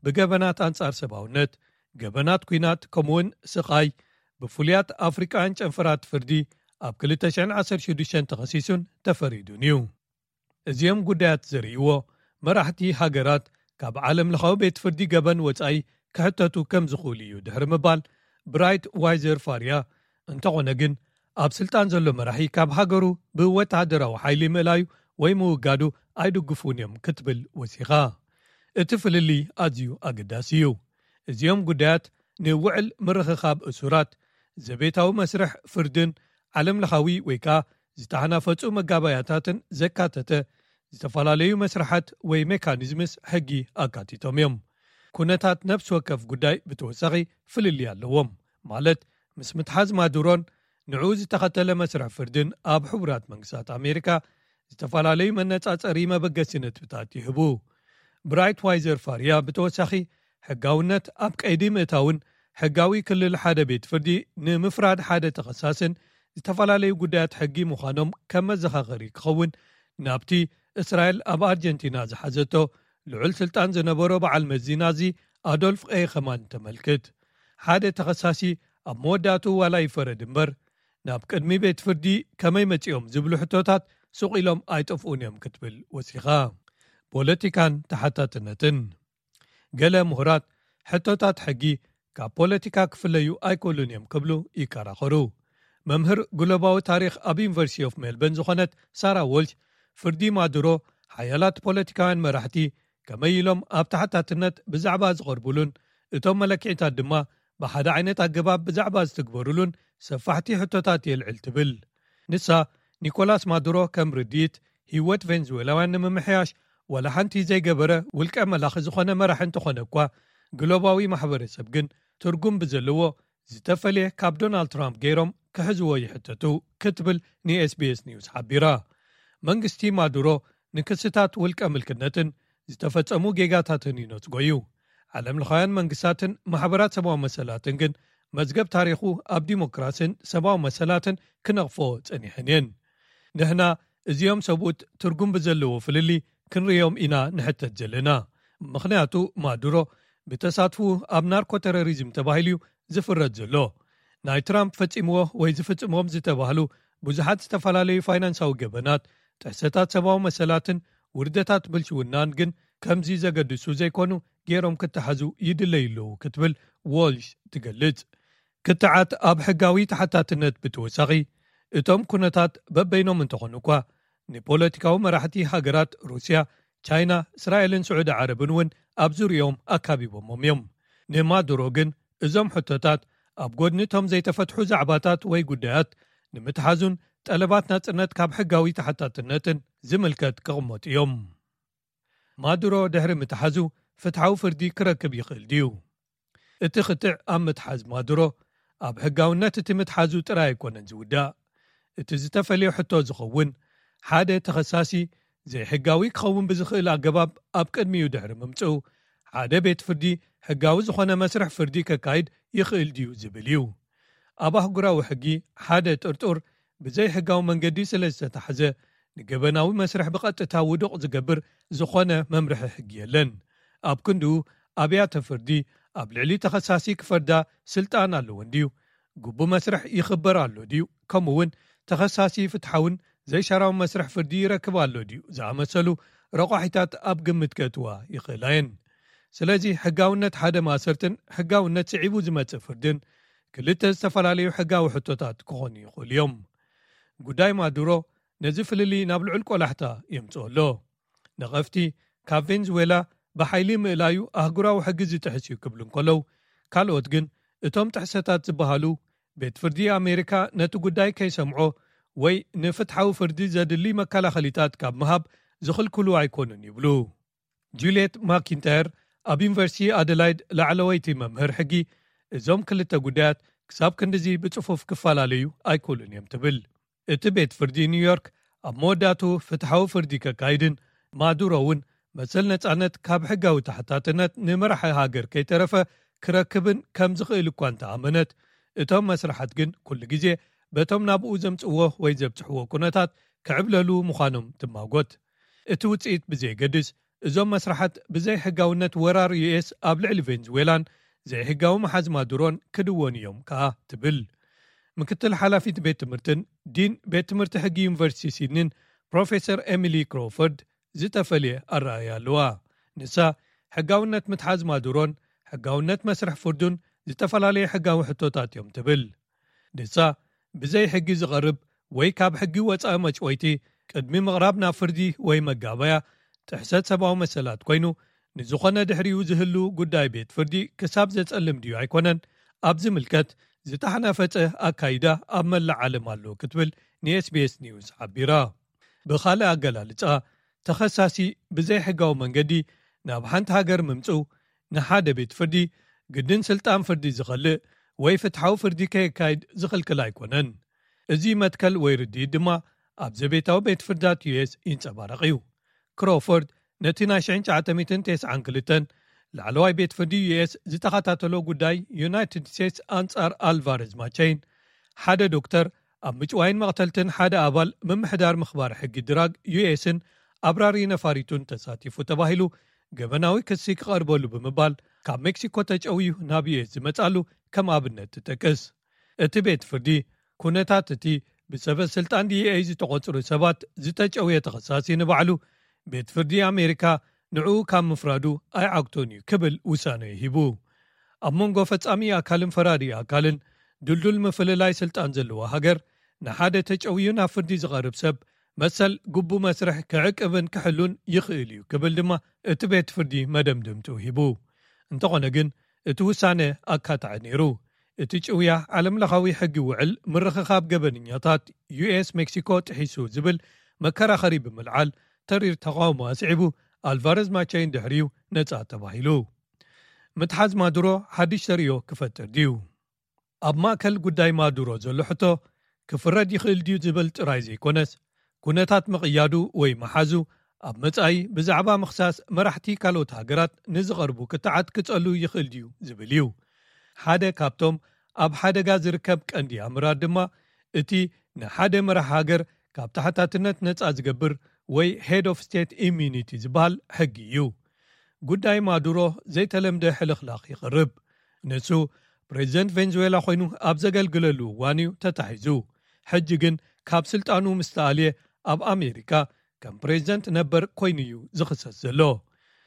ብገበናት ኣንጻር ሰብኣውነት፣ ገበናት ኲናት፣ ከምኡውን ስቓይ ብፍሉያት ኣፍሪቃውያን ጨንፈራት ፍርዲ ኣብ ክልተ ሽሕን ዓሰርተ ሽዱሽተን ተኸሲሱን ተፈሪዱን እዩ። እዚኦም ጉዳያት ዘርእይዎ፣ መራሕቲ ሃገራት ካብ ዓለም ለኻዊ ቤት ፍርዲ ገበን ወጻኢ ክሕተቱ ከም ዝኽእሉ እዩ ድሕሪ ምባል፣ ብራይት ዋይዘር ፋርያ፣ እንተኾነ ግን ኣብ ስልጣን ዘሎ መራሒ ካብ ሃገሩ ብወተሃደራዊ ሓይሊ ምእላዩ ወይ ምውጋዱ ኣይድግፉን እዮም ክትብል ወሲኻ። እቲ ፍልልይ ኣዝዩ ኣገዳሲ እዩ። እዚኦም ጉዳያት ንውዕል ምርኽኻብ እሱራት፣ ዘቤታዊ መስርሕ ፍርድን ዓለም ለኻዊ ወይ ከኣ ዝተሓናፈጹ መጋባያታትን ዘካተተ ዝተፈላለዩ መስርሓት ወይ ሜካኒዝምስ ሕጊ ኣካቲቶም እዮም። ኩነታት ነፍሲ ወከፍ ጉዳይ ብተወሳኺ ፍልልይ ኣለዎም። ማለት፣ ምስ ምትሓዝ ማዱሮን ንዕኡ ዝተኸተለ መስርሕ ፍርድን ኣብ ሕቡራት መንግስታት ኣሜሪካ ዝተፈላለዩ መነጻጸሪ መበገሲ ነጥብታት ይህቡ። ብራይት ዋይዘር ፋርያ ብተወሳኺ፣ ሕጋውነት ኣብ ቀይዲ ምእታውን ሕጋዊ ክልል ሓደ ቤት ፍርዲ ንምፍራድ ሓደ ተኸሳስን ዝተፈላለዩ ጉዳያት ሕጊ ምዃኖም ከም መዘኻኸሪ ክኸውን ናብቲ እስራኤል ኣብ ኣርጀንቲና ዝሓዘቶ ልዑል ስልጣን ዝነበሮ በዓል መዚ ናዚ ኣዶልፍ ኤኸማን ተመልክት። ሓደ ተኸሳሲ ኣብ መወዳእቱ ዋላ ይፈረድ እምበር፣ ናብ ቅድሚ ቤት ፍርዲ ከመይ መጺኦም ዝብሉ ሕቶታት ሱቕ ኢሎም ኣይጠፍኡን እዮም ክትብል ወሲኻ። ፖለቲካን ተሓታትነትን። ገለ ምሁራት ሕቶታት ሕጊ ካብ ፖለቲካ ክፍለዩ ኣይክእሉን እዮም ክብሉ ይከራኸሩ። መምህር ግሎባዊ ታሪኽ ኣብ ዩኒቨርሲቲ ኦፍ ሜልበርን ዝኾነት ሳራ ዎልሽ፣ ፍርዲ ማዱሮ ሓያላት ፖለቲካውያን መራሕቲ ከመይ ኢሎም ኣብ ተሓታትነት ብዛዕባ ዝቐርቡሉን እቶም መለክዒታት ድማ ብሓደ ዓይነት ኣገባብ ብዛዕባ ዝትግበሩሉን ሰፋሕቲ ሕቶታት የልዕል ትብል። ንሳ፣ ኒኮላስ ማዱሮ ከም ርድኢት ህይወት ቬንዙዌላውያን ንምምሕያሽ ዋላ ሓንቲ ዘይገበረ ውልቀ መላኺ ዝኾነ መራሒ እንተኾነ እኳ፣ ግሎባዊ ማሕበረሰብ ግን ትርጉም ብዘለዎ ዝተፈልየ ካብ ዶናልድ ትራምፕ ገይሮም ክሕዝዎ ይሕተቱ ክትብል ንኤስቢኤስ ኒውስ ሓቢራ። መንግስቲ ማዱሮ ንክስታት ውልቀ ምልክነትን ዝተፈጸሙ ጌጋታትን ይነጽጎ እዩ። ዓለም ለኻውያን መንግስታትን ማሕበራት ሰብኣዊ መሰላትን ግን መዝገብ ታሪኹ ኣብ ዲሞክራስን ሰብኣዊ መሰላትን ክነቕፎ ጸኒሐን እየን። ንሕና እዚኦም ሰብኡት ትርጉም ብዘለዎ ፍልልይ ክንርእዮም ኢና ንሕተት ዘለና። ምኽንያቱ ማዱሮ ብተሳትፉ ኣብ ናርኮ ተሮሪዝም ተባሂሉ እዩ ዝፍረድ ዘሎ። ናይ ትራምፕ ፈጺምዎ ወይ ዝፍጽሞም ዝተባህሉ ብዙሓት ዝተፈላለዩ ፋይናንሳዊ ገበናት፣ ጥሕሰታት ሰብኣዊ መሰላትን ውርደታት ብልሽውናን ግን ከምዚ ዘገድሱ ዘይኮኑ ገይሮም ክተሓዙ ይድለዩ ኣለዉ ክትብል ዎልሽ ትገልጽ። ክትዓት ኣብ ሕጋዊ ተሓታትነት ብተወሳኺ እቶም ኩነታት በበይኖም እንተኾኑ እኳ ንፖለቲካዊ መራሕቲ ሃገራት ሩስያ፣ ቻይና፣ እስራኤልን ስዑዲ ዓረብን እውን ኣብ ዙሪኦም ኣካቢቦሞም እዮም። ንማዱሮ ግን እዞም ሕቶታት ኣብ ጎድኒ እቶም ዘይተፈትሑ ዛዕባታት ወይ ጉዳያት ንምትሓዙን ጠለባት ናጽነት ካብ ሕጋዊ ተሓታትነትን ዝምልከት ክቕመጡ እዮም። ማዱሮ ድሕሪ ምትሓዙ ፍትሓዊ ፍርዲ ክረክብ ይኽእል ድዩ? እቲ ክትዕ ኣብ ምትሓዝ ማዱሮ ኣብ ሕጋውነት እቲ ምትሓዙ ጥራይ ኣይኮነን ዝውዳእ። እቲ ዝተፈልዮ ሕቶ ዝኸውን ሓደ ተኸሳሲ ዘይሕጋዊ ክኸውን ብዝኽእል ኣገባብ ኣብ ቅድሚኡ ድሕሪ ምምጽኡ ሓደ ቤት ፍርዲ ሕጋዊ ዝኾነ መስርሕ ፍርዲ ከካይድ ይኽእል ድዩ ዝብል እዩ። ኣብ ኣህጉራዊ ሕጊ ሓደ ጥርጡር ብዘይ ሕጋዊ መንገዲ ስለ ዝተታሕዘ ንገበናዊ መስርሕ ብቐጥታ ውዱቕ ዝገብር ዝኾነ መምርሒ ሕጊ የለን። ኣብ ክንድኡ ኣብያተ ፍርዲ ኣብ ልዕሊ ተኸሳሲ ክፈርዳ ስልጣን ኣለወን ድዩ? ግቡ መስርሕ ይኽበር ኣሎ ድዩ? ከምኡ እውን ተኸሳሲ ፍትሓውን ዘይሻራዊ መስርሕ ፍርዲ ይረክብ ኣሎ ድዩ? ዝኣመሰሉ ረቋሒታት ኣብ ግምት ከእትዋ ይኽእላ እየን። ስለዚ ሕጋውነት ሓደ ማእሰርትን ሕጋውነት ስዒቡ ዝመጽእ ፍርድን ክልተ ዝተፈላለዩ ሕጋዊ ሕቶታት ክኾኑ ይኽእሉ እዮም። ጉዳይ ማዱሮ ነዚ ፍልልይ ናብ ልዑል ቆላሕታ የምጽኦ ኣሎ። ነቐፍቲ ካብ ቬንዙዌላ ብሓይሊ ምእላዩ ኣህጉራዊ ሕጊ ዝጥሕስ እዩ ክብሉ እንከለዉ፣ ካልኦት ግን እቶም ጥሕሰታት ዝበሃሉ ቤት ፍርዲ ኣሜሪካ ነቲ ጉዳይ ከይሰምዖ ወይ ንፍትሓዊ ፍርዲ ዘድሊ መከላኸሊታት ካብ ምሃብ ዝኽልክሉ ኣይኮኑን ይብሉ። ጁልየት ማኪንታየር ኣብ ዩኒቨርሲቲ ኣደላይድ ላዕለወይቲ መምህር ሕጊ፣ እዞም ክልተ ጉዳያት ክሳብ ክንድዚ ብጽፉፍ ክፈላለዩ ኣይክእሉን እዮም ትብል። እቲ ቤት ፍርዲ ኒውዮርክ ኣብ መወዳእቱ ፍትሓዊ ፍርዲ ከካይድን ማዱሮ እውን መሰል ነጻነት ካብ ሕጋዊ ተሓታትነት ንመራሒ ሃገር ከይተረፈ ክረክብን ከም ዝኽእል እኳ እንተኣመነት፣ እቶም መስርሓት ግን ኩሉ ግዜ በቶም ናብኡ ዘምጽእዎ ወይ ዘብጽሕዎ ኩነታት ክዕብለሉ ምዃኖም ትማጎት። እቲ ውጽኢት ብዘየገድስ፣ እዞም መስርሓት ብዘይ ሕጋውነት ወራር ዩኤስ ኣብ ልዕሊ ቬንዙዌላን ዘይሕጋዊ መሓዝ ማዱሮን ክድወኑ እዮም ከኣ ትብል። ምክትል ሓላፊት ቤት ትምህርትን ዲን ቤት ትምህርቲ ሕጊ ዩኒቨርሲቲ ሲድኒን ፕሮፌሰር ኤሚሊ ክሮፎርድ ዝተፈልየ ኣረኣእያ ኣለዋ። ንሳ፣ ሕጋውነት ምትሓዝ ማዱሮን ሕጋውነት መስርሕ ፍርዱን ዝተፈላለየ ሕጋዊ ሕቶታት እዮም ትብል። ንሳ፣ ብዘይ ሕጊ ዝቐርብ ወይ ካብ ሕጊ ወጻኢ መጭወይቲ ቅድሚ ምቕራብ ናብ ፍርዲ ወይ መጋበያ ጥሕሰት ሰብኣዊ መሰላት ኮይኑ፣ ንዝኾነ ድሕሪኡ ዝህሉ ጉዳይ ቤት ፍርዲ ክሳብ ዘጸልም ድዩ ኣይኮነን ኣብ ዝምልከት ዝተሓናፈጸ ኣካይዳ ኣብ መላእ ዓለም ኣሎ ክትብል ንኤስቢኤስ ኒውስ ሓቢራ። ብኻልእ ኣገላልጻ፣ ተኸሳሲ ብዘይ ሕጋዊ መንገዲ ናብ ሓንቲ ሃገር ምምጽኡ ንሓደ ቤት ፍርዲ ግድን ስልጣን ፍርዲ ዝኸልእ ወይ ፍትሓዊ ፍርዲ ከየካይድ ዝኽልክል ኣይኮነን። እዚ መትከል ወይ ርድኢት ድማ ኣብ ዘቤታዊ ቤት ፍርዳት ዩኤስ ይንጸባረቕ እዩ። ክሮፎርድ ነቲ ናይ ሽሕን ትሽዓተ ሚእትን ተስዓን ክልተን ላዕለዋይ ቤት ፍርዲ ዩኤስ ዝተኸታተሎ ጉዳይ ዩናይትድ ስቴትስ ኣንጻር ኣልቫረዝ ማቸይን፣ ሓደ ዶክተር ኣብ ምጭዋይን መቕተልትን ሓደ ኣባል ምምሕዳር ምኽባር ሕጊ ድራግ ዩኤስን ኣብራሪ ነፋሪቱን ተሳቲፉ ተባሂሉ ገበናዊ ክሲ ክቐርበሉ ብምባል ካብ ሜክሲኮ ተጨውዩ ናብ ዩኤስ ዝመጻሉ ከም ኣብነት ትጠቅስ። እቲ ቤት ፍርዲ ኩነታት እቲ ብሰበ ስልጣን ዲኤ ዝተቖጽሩ ሰባት ዝተጨውየ ተኸሳሲ ንባዕሉ ቤት ፍርዲ ኣሜሪካ ንዕኡ ካብ ምፍራዱ ኣይዓግቶን እዩ ክብል ውሳነ ሂቡ። ኣብ መንጎ ፈጻሚ ኣካልን ፈራዲ ኣካልን ድልዱል ምፍልላይ ስልጣን ዘለዋ ሃገር፣ ንሓደ ተጨውዩ ናብ ፍርዲ ዝቐርብ ሰብ መሰል ግቡ መስርሕ ክዕቅብን ክሕሉን ይኽእል እዩ ክብል ድማ እቲ ቤት ፍርዲ መደምደምቱ ሂቡ። እንተኾነ ግን እቲ ውሳነ ኣካታዒ ነይሩ። እቲ ጭውያ ዓለምለኻዊ ሕጊ ውዕል ምርኽኻብ ገበነኛታት ዩኤስ ሜክሲኮ ጥሒሱ ዝብል መከራኸሪ ብምልዓል ተሪር ተቓውሞ ኣስዒቡ፣ ኣልቫረዝ ማቻይን ድሕሪኡ ነጻ ተባሂሉ። ምትሓዝ ማዱሮ ሓድሽ ተርእዮ ክፈጥር ድዩ? ኣብ ማእከል ጉዳይ ማዱሮ ዘሎ ሕቶ፣ ክፍረድ ይኽእል ድዩ ዝብል ጥራይ ዘይኮነስ፣ ኩነታት ምቕያዱ ወይ ምሓዙ ኣብ መጻኢ ብዛዕባ ምኽሳስ መራሕቲ ካልኦት ሃገራት ንዝቐርቡ ክትዓት ክጸሉ ይኽእል ድዩ ዝብል እዩ። ሓደ ካብቶም ኣብ ሓደጋ ዝርከብ ቀንዲ ኣምራት ድማ እቲ ንሓደ መራሕ ሃገር ካብ ተሓታትነት ነጻ ዝገብር ወይ ሄድ ኦፍ ስቴት ኢሚኒቲ ዝበሃል ሕጊ እዩ። ጉዳይ ማዱሮ ዘይተለምደ ሕልኽላኽ ይቕርብ። ንሱ ፕሬዚደንት ቬንዙዌላ ኮይኑ ኣብ ዘገልግለሉ እዋን እዩ ተታሒዙ። ሕጂ ግን ካብ ስልጣኑ ምስ ተኣልየ ኣብ ኣሜሪካ ከም ፕሬዚደንት ነበር ኮይኑ እዩ ዝኽሰስ ዘሎ።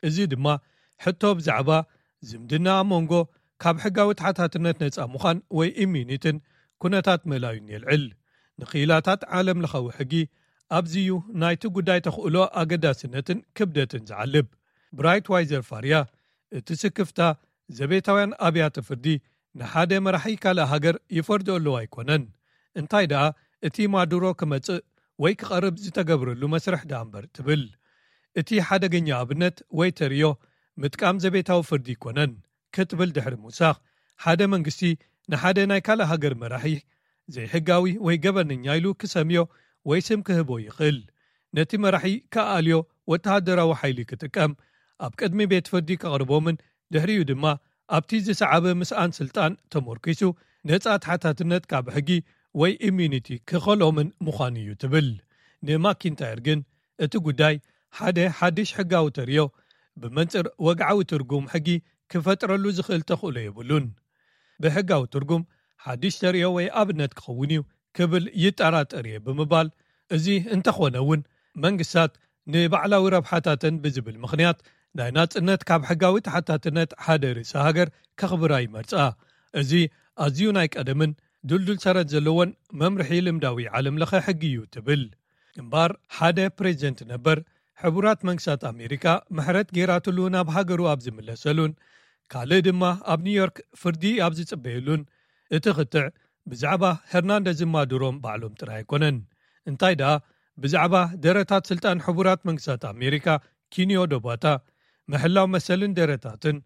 እዚ ድማ ሕቶ ብዛዕባ ዝምድና ኣብ መንጎ ካብ ሕጋዊ ተሓታትነት ነጻ ምዃን ወይ ኢሚኒትን ኩነታት ምእላዩን የልዕል። ንክኢላታት ዓለም ለኻዊ ሕጊ ኣብዚዩ ናይቲ ጉዳይ ተኽእሎ ኣገዳስነትን ክብደትን ዝዓልብ። ብራይት ዋይዘር ፋርያ፣ እቲ ስክፍታ ዘቤታውያን ኣብያተ ፍርዲ ንሓደ መራሒ ካልእ ሃገር ይፈርዶ ኣለዉ ኣይኮነን፣ እንታይ ደኣ እቲ ማዱሮ ክመጽእ ወይ ክቐርብ ዝተገብረሉ መስርሕ ደኣ እምበር ትብል። እቲ ሓደገኛ ኣብነት ወይ ተርእዮ ምጥቃም ዘቤታዊ ፍርዲ ኣይኮነን ክትብል ድሕሪ ምውሳኽ፣ ሓደ መንግስቲ ንሓደ ናይ ካልእ ሃገር መራሒ ዘይሕጋዊ ወይ ገበነኛ ኢሉ ክሰምዮ ወይ ስም ክህቦ ይኽእል። ነቲ መራሒ ክኣልዮ ወተሃደራዊ ሓይሊ ክጥቀም፣ ኣብ ቅድሚ ቤት ፍርዲ ከቕርቦምን ድሕሪኡ ድማ ኣብቲ ዝሰዓበ ምስኣን ስልጣን ተመርኪሱ ነጻ ተሓታትነት ካብ ሕጊ ወይ ኢሚኒቲ ክኸሎምን ምዃኑ እዩ ትብል። ንማኪንታየር ግን እቲ ጉዳይ ሓደ ሓድሽ ሕጋዊ ተርእዮ ብመንጽር ወግዓዊ ትርጉም ሕጊ ክፈጥረሉ ዝኽእል ተኽእሎ የብሉን። ብሕጋዊ ትርጉም ሓድሽ ተርእዮ ወይ ኣብነት ክኸውን እዩ ክብል ይጠራጠር እየ ብምባል፣ እዚ እንተኾነ እውን መንግስታት ንባዕላዊ ረብሓታተን ብዝብል ምኽንያት ናይ ናጽነት ካብ ሕጋዊ ተሓታትነት ሓደ ርእሰ ሃገር ከኽብራ ይመርጻ። እዚ ኣዝዩ ናይ ቀደምን ድልዱል ሰረት ዘለዎን መምርሒ ልምዳዊ ዓለም ለኸ ሕጊ እዩ ትብል። እምበኣር ሓደ ፕሬዚደንት ነበር ሕቡራት መንግስታት ኣሜሪካ ምሕረት ጌራትሉ ናብ ሃገሩ ኣብ ዝምለሰሉን ካልእ ድማ ኣብ ኒውዮርክ ፍርዲ ኣብ ዝጽበየሉን እቲ ክትዕ ብዛዕባ ሄርናንደዝን ማዱሮን ባዕሎም ጥራይ ኣይኮነን። እንታይ ደኣ ብዛዕባ ደረታት ስልጣን ሕቡራት መንግስታት ኣሜሪካ ኪንዮ ዶባታ፣ ምሕላው መሰልን ደረታትን፣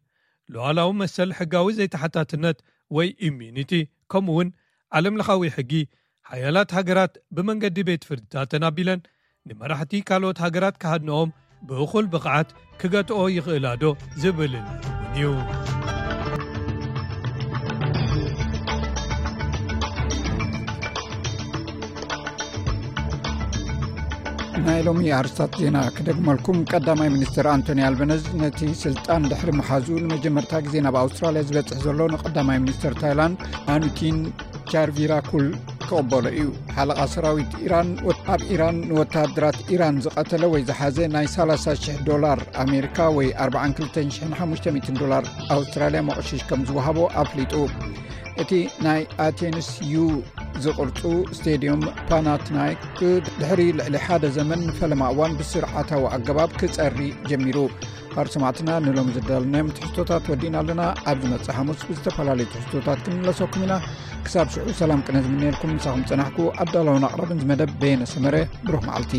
ሉዓላዊ መሰል ሕጋዊ ዘይተሓታትነት ወይ ኢሚኒቲ፣ ከምኡ እውን ዓለም ለኻዊ ሕጊ፣ ሓያላት ሃገራት ብመንገዲ ቤት ፍርድታተን ኣቢለን ንመራሕቲ ካልኦት ሃገራት ክሃድንኦም ብእኹል ብቕዓት ክገትኦ ይኽእላ ዶ ዝብልን እውን እዩ። ናይ ሎሚ ኣርስታት ዜና ክደግመልኩም። ቀዳማይ ሚኒስትር ኣንቶኒ ኣልበነዝ ነቲ ስልጣን ድሕሪ ምሓዙ ንመጀመርታ ግዜ ናብ ኣውስትራልያ ዝበጽሕ ዘሎ ንቀዳማይ ሚኒስትር ታይላንድ ኣኑቲን ቻርቪራኩል ክቕበሎ እዩ። ሓለቓ ሰራዊት ኢራን ወት-፣ ኣብ ኢራን ንወተሃደራት ኢራን ዝቐተለ ወይ ዝሓዘ ናይ ሰላሳ ሽሕ ዶላር ኣሜሪካ ወይ ኣርባዓን ክልተን ሽሕን ሓሙሽተ ሚእትን ዶላር ኣውስትራልያ መቑሽሽ ከም ዝወሃቦ ኣፍሊጡ። እቲ ናይ ኣቴንስ ዩ ዝቕርጹ ስቴድዮም ፓናትናይክ ድሕሪ ልዕሊ ሓደ ዘመን ንፈለማ እዋን ብስርዓታዊ ኣገባብ ክጸሪ ጀሚሩ። ካብ ሰማዕትና ንሎም ዝዳልናዮም ትሕዝቶታት ወዲና ኣለና። ኣብ ዝመጽእ ሓሙስ ብዝተፈላለዩ ትሕዝቶታት ክንምለሰኩም ኢና። ክሳብ ሽዑ ሰላም ቅነ ዝምነየልኩም ምሳኹም ጸናሕኩ ኣዳላውን ኣቕራብን ዝመደብ በየነ ሰመረ። ብሩኽ መዓልቲ።